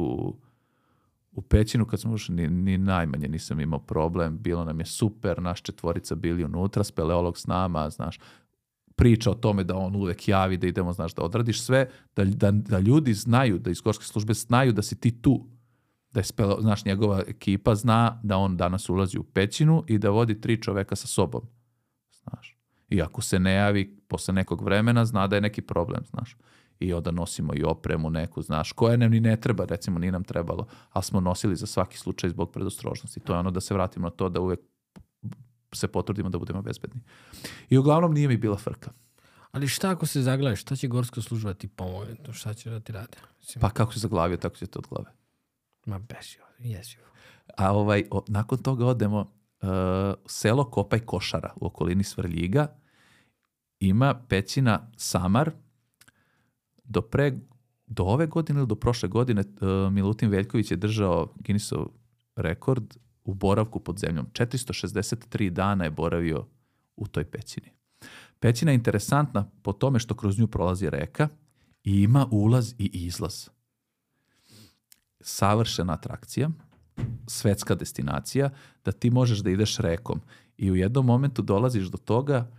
u pećinu, kad smo ušli, ni najmanje nisam imao problem, bilo nam je super, naš 4 bili unutra, speleolog s nama, znaš, priča o tome da on uvek javi, da idemo, znaš, da odradiš sve, da ljudi znaju, da iz gorske službe znaju da si ti tu. Da je znaš, njegova ekipa zna da on danas ulazi u pećinu i da vodi 3 čoveka sa sobom. Znaš. I ako se ne javi posle nekog vremena, zna da je neki problem, znaš. I onda nosimo i opremu neku, znaš, koja nam ni ne treba, recimo, nije nam trebalo, ali smo nosili za svaki slučaj zbog predostrožnosti. To je ono da se vratimo na to da uvek se potrudimo da budemo bezbedni. I uglavnom nije mi bila frka. Ali šta ako se zaglaviš? Šta će gorska služba ti pomoći? Šta će da ti rade? Pa kako se zaglavio, tako će te od glave. Ma besio, jesio. A nakon toga odemo selo Kopaj Košara u okolini Svrljiga. Ima pećina Samar. Do ove godine ili do prošle godine Milutin Veljković je držao Guinnessov rekord u boravku pod zemljom. 463 dana je boravio u toj pećini. Pećina je interesantna po tome što kroz nju prolazi reka i ima ulaz i izlaz. Savršena atrakcija, svetska destinacija, da ti možeš da ideš rekom. I u jednom momentu dolaziš do toga,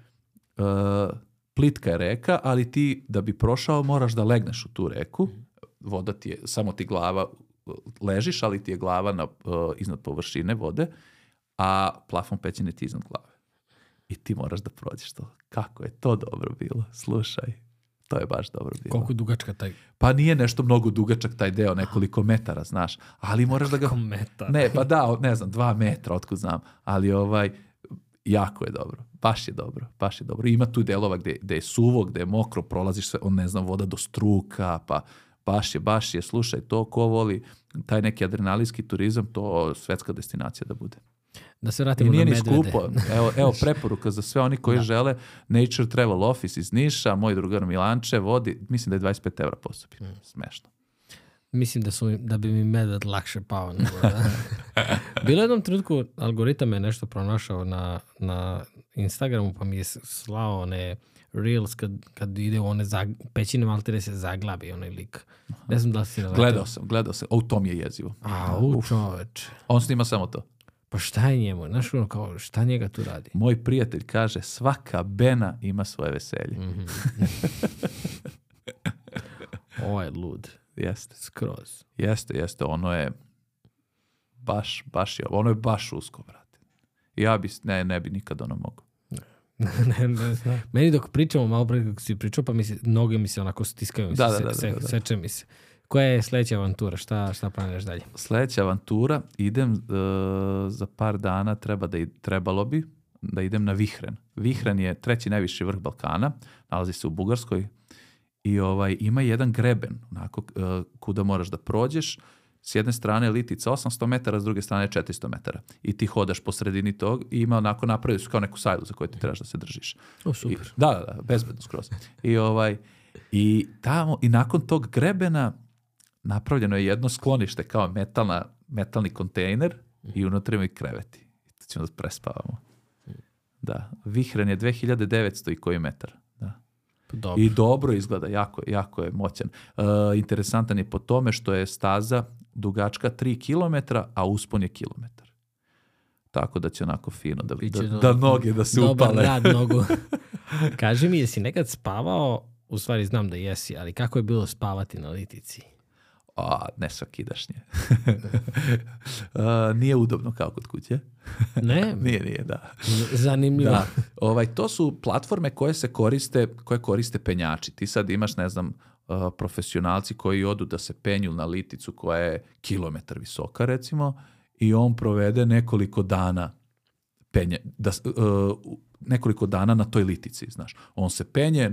plitka je reka, ali ti da bi prošao moraš da legneš u tu reku. Voda ti je, samo ti glava ležiš, ali ti je glava iznad površine vode, a plafon pećine ti iznad glave. I ti moraš da prođeš to. Kako je to dobro bilo, slušaj. To je baš dobro bilo. Koliko je dugačka taj? Pa nije nešto mnogo dugačak taj deo, nekoliko metara, znaš. Ali moraš da ga... Metara. Ne, pa da, ne znam, 2 metra, otkud znam. Ali jako je dobro. Baš je dobro. Ima tu delova gde je suvo, gde je mokro, prolaziš sve, ne znam, voda do struka, pa baš je, slušaj, to ko voli, taj neki adrenalinski turizam, to svetska destinacija da bude. Da se vratimo na medvede. I nije ni skupo. Evo preporuka za sve oni koji žele. Nature Travel Office iz Niša, moj drugar Milanče vodi, mislim da je 25 € po osobi. Smešno. Mislim da bi mi medved lakše pao. Bilo jednom trenutku algoritam je nešto pronašao na Instagramu, pa mi je slao one reels kad ide u one pećine, maltene se zaglabi onaj lik. Ne znam da li si naletao. Gledao sam. To mi je jezivo. Čoveč. On snima samo to. Pa šta je njemu? Znaš ono kao, šta njega tu radi? Moj prijatelj kaže, svaka bena ima svoje veselje. Ovo je lud. Jeste. Skroz. Jeste. Ono je baš usko, brate. Ja ne bi nikad ono mogo. Ne. Meni dok pričamo malo pre kako si pričao, pa noge mi se onako stiskaju. Seče mi se. Koja je sljedeća avantura? Šta planiraš dalje? Sljedeća avantura, idem za par dana, trebalo bi da idem na Vihren. Vihren je 3. najviši vrh Balkana, nalazi se u Bugarskoj i ima jedan greben, onako, kuda moraš da prođeš. S jedne strane je litica 800 metara, s druge strane je 400 metara. I ti hodaš po sredini tog i ima onako napravili su kao neku sajlu za koju ti trebaš da se držiš. Super. Da, bezbedno skroz. I tamo, i nakon tog grebena napravljeno je jedno sklonište kao metalni kontejner i unutra ima i kreveti. I tu ćemo da prespavamo. Da, Vihren je 2900 i koji metar. Da. Dobro. I dobro izgleda, jako je moćan. Interesantan je po tome što je staza dugačka 3 km, a uspon je kilometar. Tako da će onako fino da noge da se upale. Dobar rad nogu. Kaži mi, jesi nekad spavao, u stvari znam da jesi, ali kako je bilo spavati na litici? Ne svakidašnje. Nije udobno kao kod kuće. Ne? Nije, da. Zanimljivo. Da. To su platforme koje koriste penjači. Ti sad imaš, ne znam, profesionalci koji odu da se penju na liticu koja je kilometar visoka, recimo, i on provede nekoliko dana penje, nekoliko dana na toj litici, znaš. On se penje,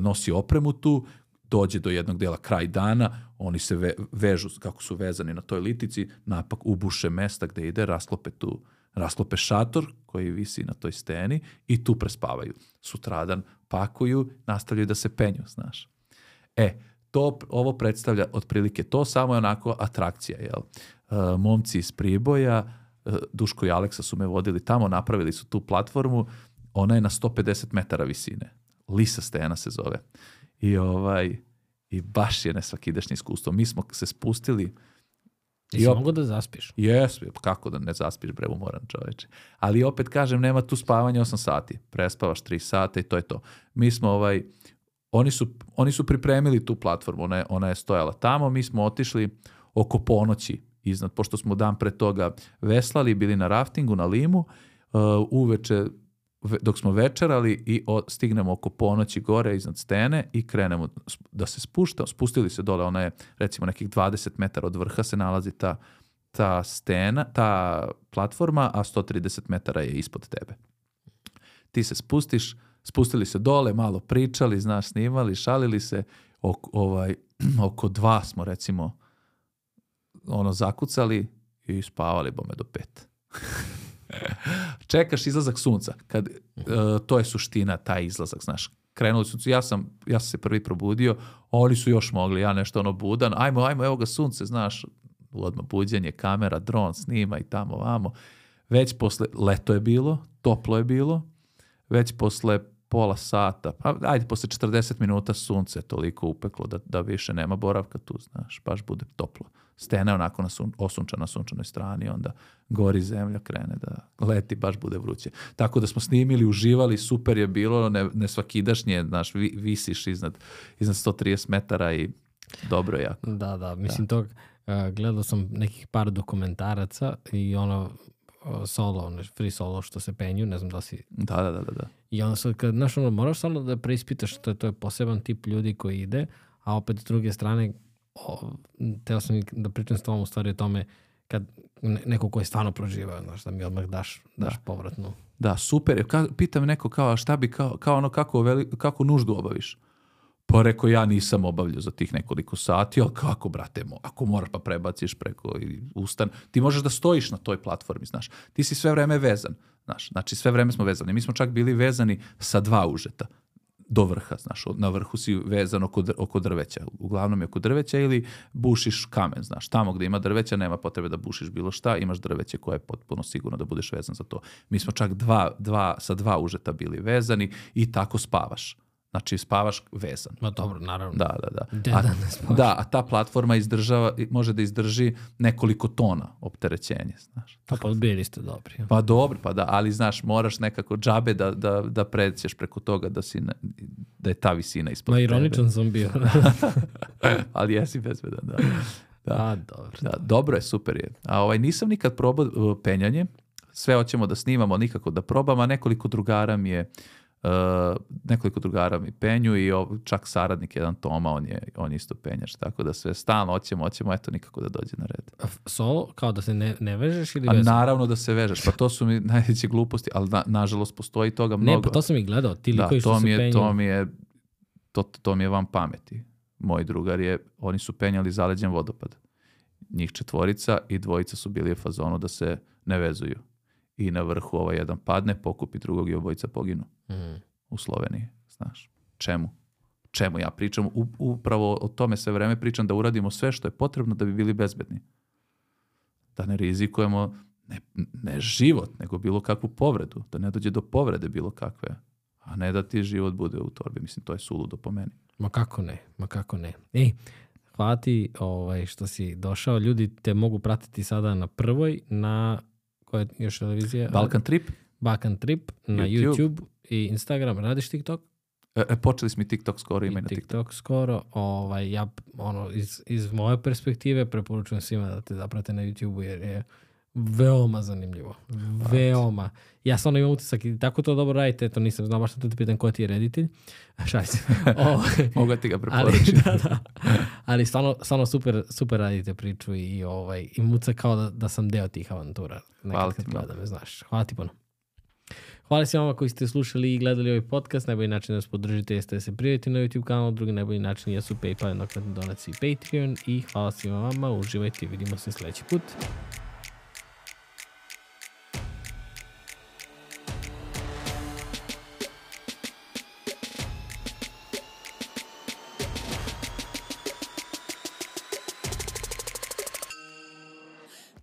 nosi opremu tu, dođe do jednog dela kraj dana, oni se vežu kako su vezani na toj litici, napak ubuše mesta gde ide, rasklope šator koji visi na toj steni i tu prespavaju. Sutradan pakuju, nastavljaju da se penju, znaš. Ovo predstavlja otprilike to, samo je onako atrakcija, jel? Momci iz Priboja, Duško i Aleksa su me vodili tamo, napravili su tu platformu, ona je na 150 metara visine. Lisa stena se zove. I baš je nesvakidašnje iskustvo. Mi smo se spustili. I mogu da zaspiš? Jes, kako da ne zaspiš, bre, umoran čoveče. Ali opet kažem, nema tu spavanja 8 sati. Prespavaš 3 sata i to je to. Mi smo oni su pripremili tu platformu, ona je stojala tamo, mi smo otišli oko ponoći iznad, pošto smo dan pre toga veslali, bili na raftingu, na Limu, uveče, dok smo večerali i stignemo oko ponoći gore iznad stene i krenemo da se spustili se dole, ona je recimo nekih 20 metara od vrha se nalazi ta stena, ta platforma, a 130 metara je ispod tebe. Ti se spustili se dole, malo pričali, znaš, snimali, šalili se, oko 2 smo recimo zakucali i spavali bome do 5. Čekaš izlazak sunca, to je suština, taj izlazak, znaš. Krenuli su, ja sam se prvi probudio, oni su još mogli, ja nešto budan, ajmo, evo ga sunce, znaš, odmah buđenje, kamera, dron, snima i tamo, vamo. Već posle, leto je bilo, toplo je bilo, već posle pola sata, posle 40 minuta sunce je toliko upeklo da više nema boravka tu, znaš, baš bude toplo. Stena je onako osunčana na sunčanoj strani, onda gori zemlja, krene da leti, baš bude vruće. Tako da smo snimili, uživali, super je bilo, nesvakidašnje, znaš, visiš iznad 130 metara i dobro je jako. Da, mislim gledao sam nekih par dokumentaraca i solo, free solo što se penju, ne znam da si... Da. I onda sad, moraš samo da preispitaš što to je poseban tip ljudi koji ide, a opet s druge strane, teo sam da pričam s tobom u stvari o tome kad neko ko je stvarno proživao, znaš, da mi odmah daš povratnu. Da, super. Pitam neko kao, šta bi, kako nuždu obaviš? Pa rekao, ja nisam obavljao za tih nekoliko sati, ali kako, brate, ako moraš pa prebaciš preko i ustan, ti možeš da stojiš na toj platformi, znaš. Ti si sve vreme vezan, znaš. Znači, sve vreme smo vezani. Mi smo čak bili vezani sa 2 užeta do vrha, znaš. Na vrhu si vezan oko drveća. Uglavnom je oko drveća ili bušiš kamen, znaš. Tamo gde ima drveća nema potrebe da bušiš bilo šta, imaš drveće koje je potpuno sigurno da budeš vezan za to. Mi smo čak sa 2 užeta bili vezani i tako spavaš. Znači, spavaš vezan. Ma dobro, naravno. Da, a ta platforma može da izdrži nekoliko tona opterećenja, znaš. Pa bili ste dobri. Pa dobro, ali znaš, moraš nekako džabe da pređeš preko toga da je ta visina ispod tebe. Ironičan sam bio. Ali jesi bezbedan, da. Dobro. Da, dobro je, super je. A nisam nikad probao penjanje, sve hoćemo da snimamo, nikako da probam, a nekoliko drugara mi penju i čak saradnik jedan Toma, on je isto penjač, tako da sve stalno hoćemo, eto nikako da dođe na red. Solo, kao da se ne vežeš ili vežeš? Naravno da se vežeš, pa to su mi najveće gluposti, ali nažalost postoji toga mnogo. Ne, pa to sam i gledao, ti likovi što se penju. To mi je van pameti. Moj drugar oni su penjali zaleđen vodopad. Njih 4 i 2 su bili u fazonu da se ne vezuju. I na vrhu jedan padne, pokupi drugog i obojica poginu. U Sloveniji, znaš. Čemu ja pričam? Upravo o tome sve vreme pričam, da uradimo sve što je potrebno da bi bili bezbedni. Da ne rizikujemo ne život, nego bilo kakvu povredu. Da ne dođe do povrede bilo kakve. A ne da ti život bude u torbi. Mislim, to je suludo po meni. Ma kako ne. Hvala ti što si došao. Ljudi te mogu pratiti sada na Prvoj, na koja je još televizija? Balkan Trip na YouTube i Instagram. Radiš TikTok? Počeli smo i TikTok skoro, ima i na TikTok skoro. Ja iz moje perspektive preporučujem svima da te zaprate na YouTube jer je Veoma zanimljivo. Veoma. Ja stvarno imam utisak i tako to dobro radite, to nisam znao baš što te pitan ko ti je reditelj. Šaj se. Mogu ti ga preporučiti. Da. Ali stvarno super radite priču i muca kao da sam deo tih avantura. Hvala ti da me znaš. Hvala ti puno. Hvala svima vama koji ste slušali i gledali ovaj podcast. Najbolji način da nas podržite jeste da se prijavite na YouTube kanal. Drugi najbolji način jesu PayPal, jednokratne donacije i Patreon. I hvala svima vama. Uživajte i vidimo se sljedeći put.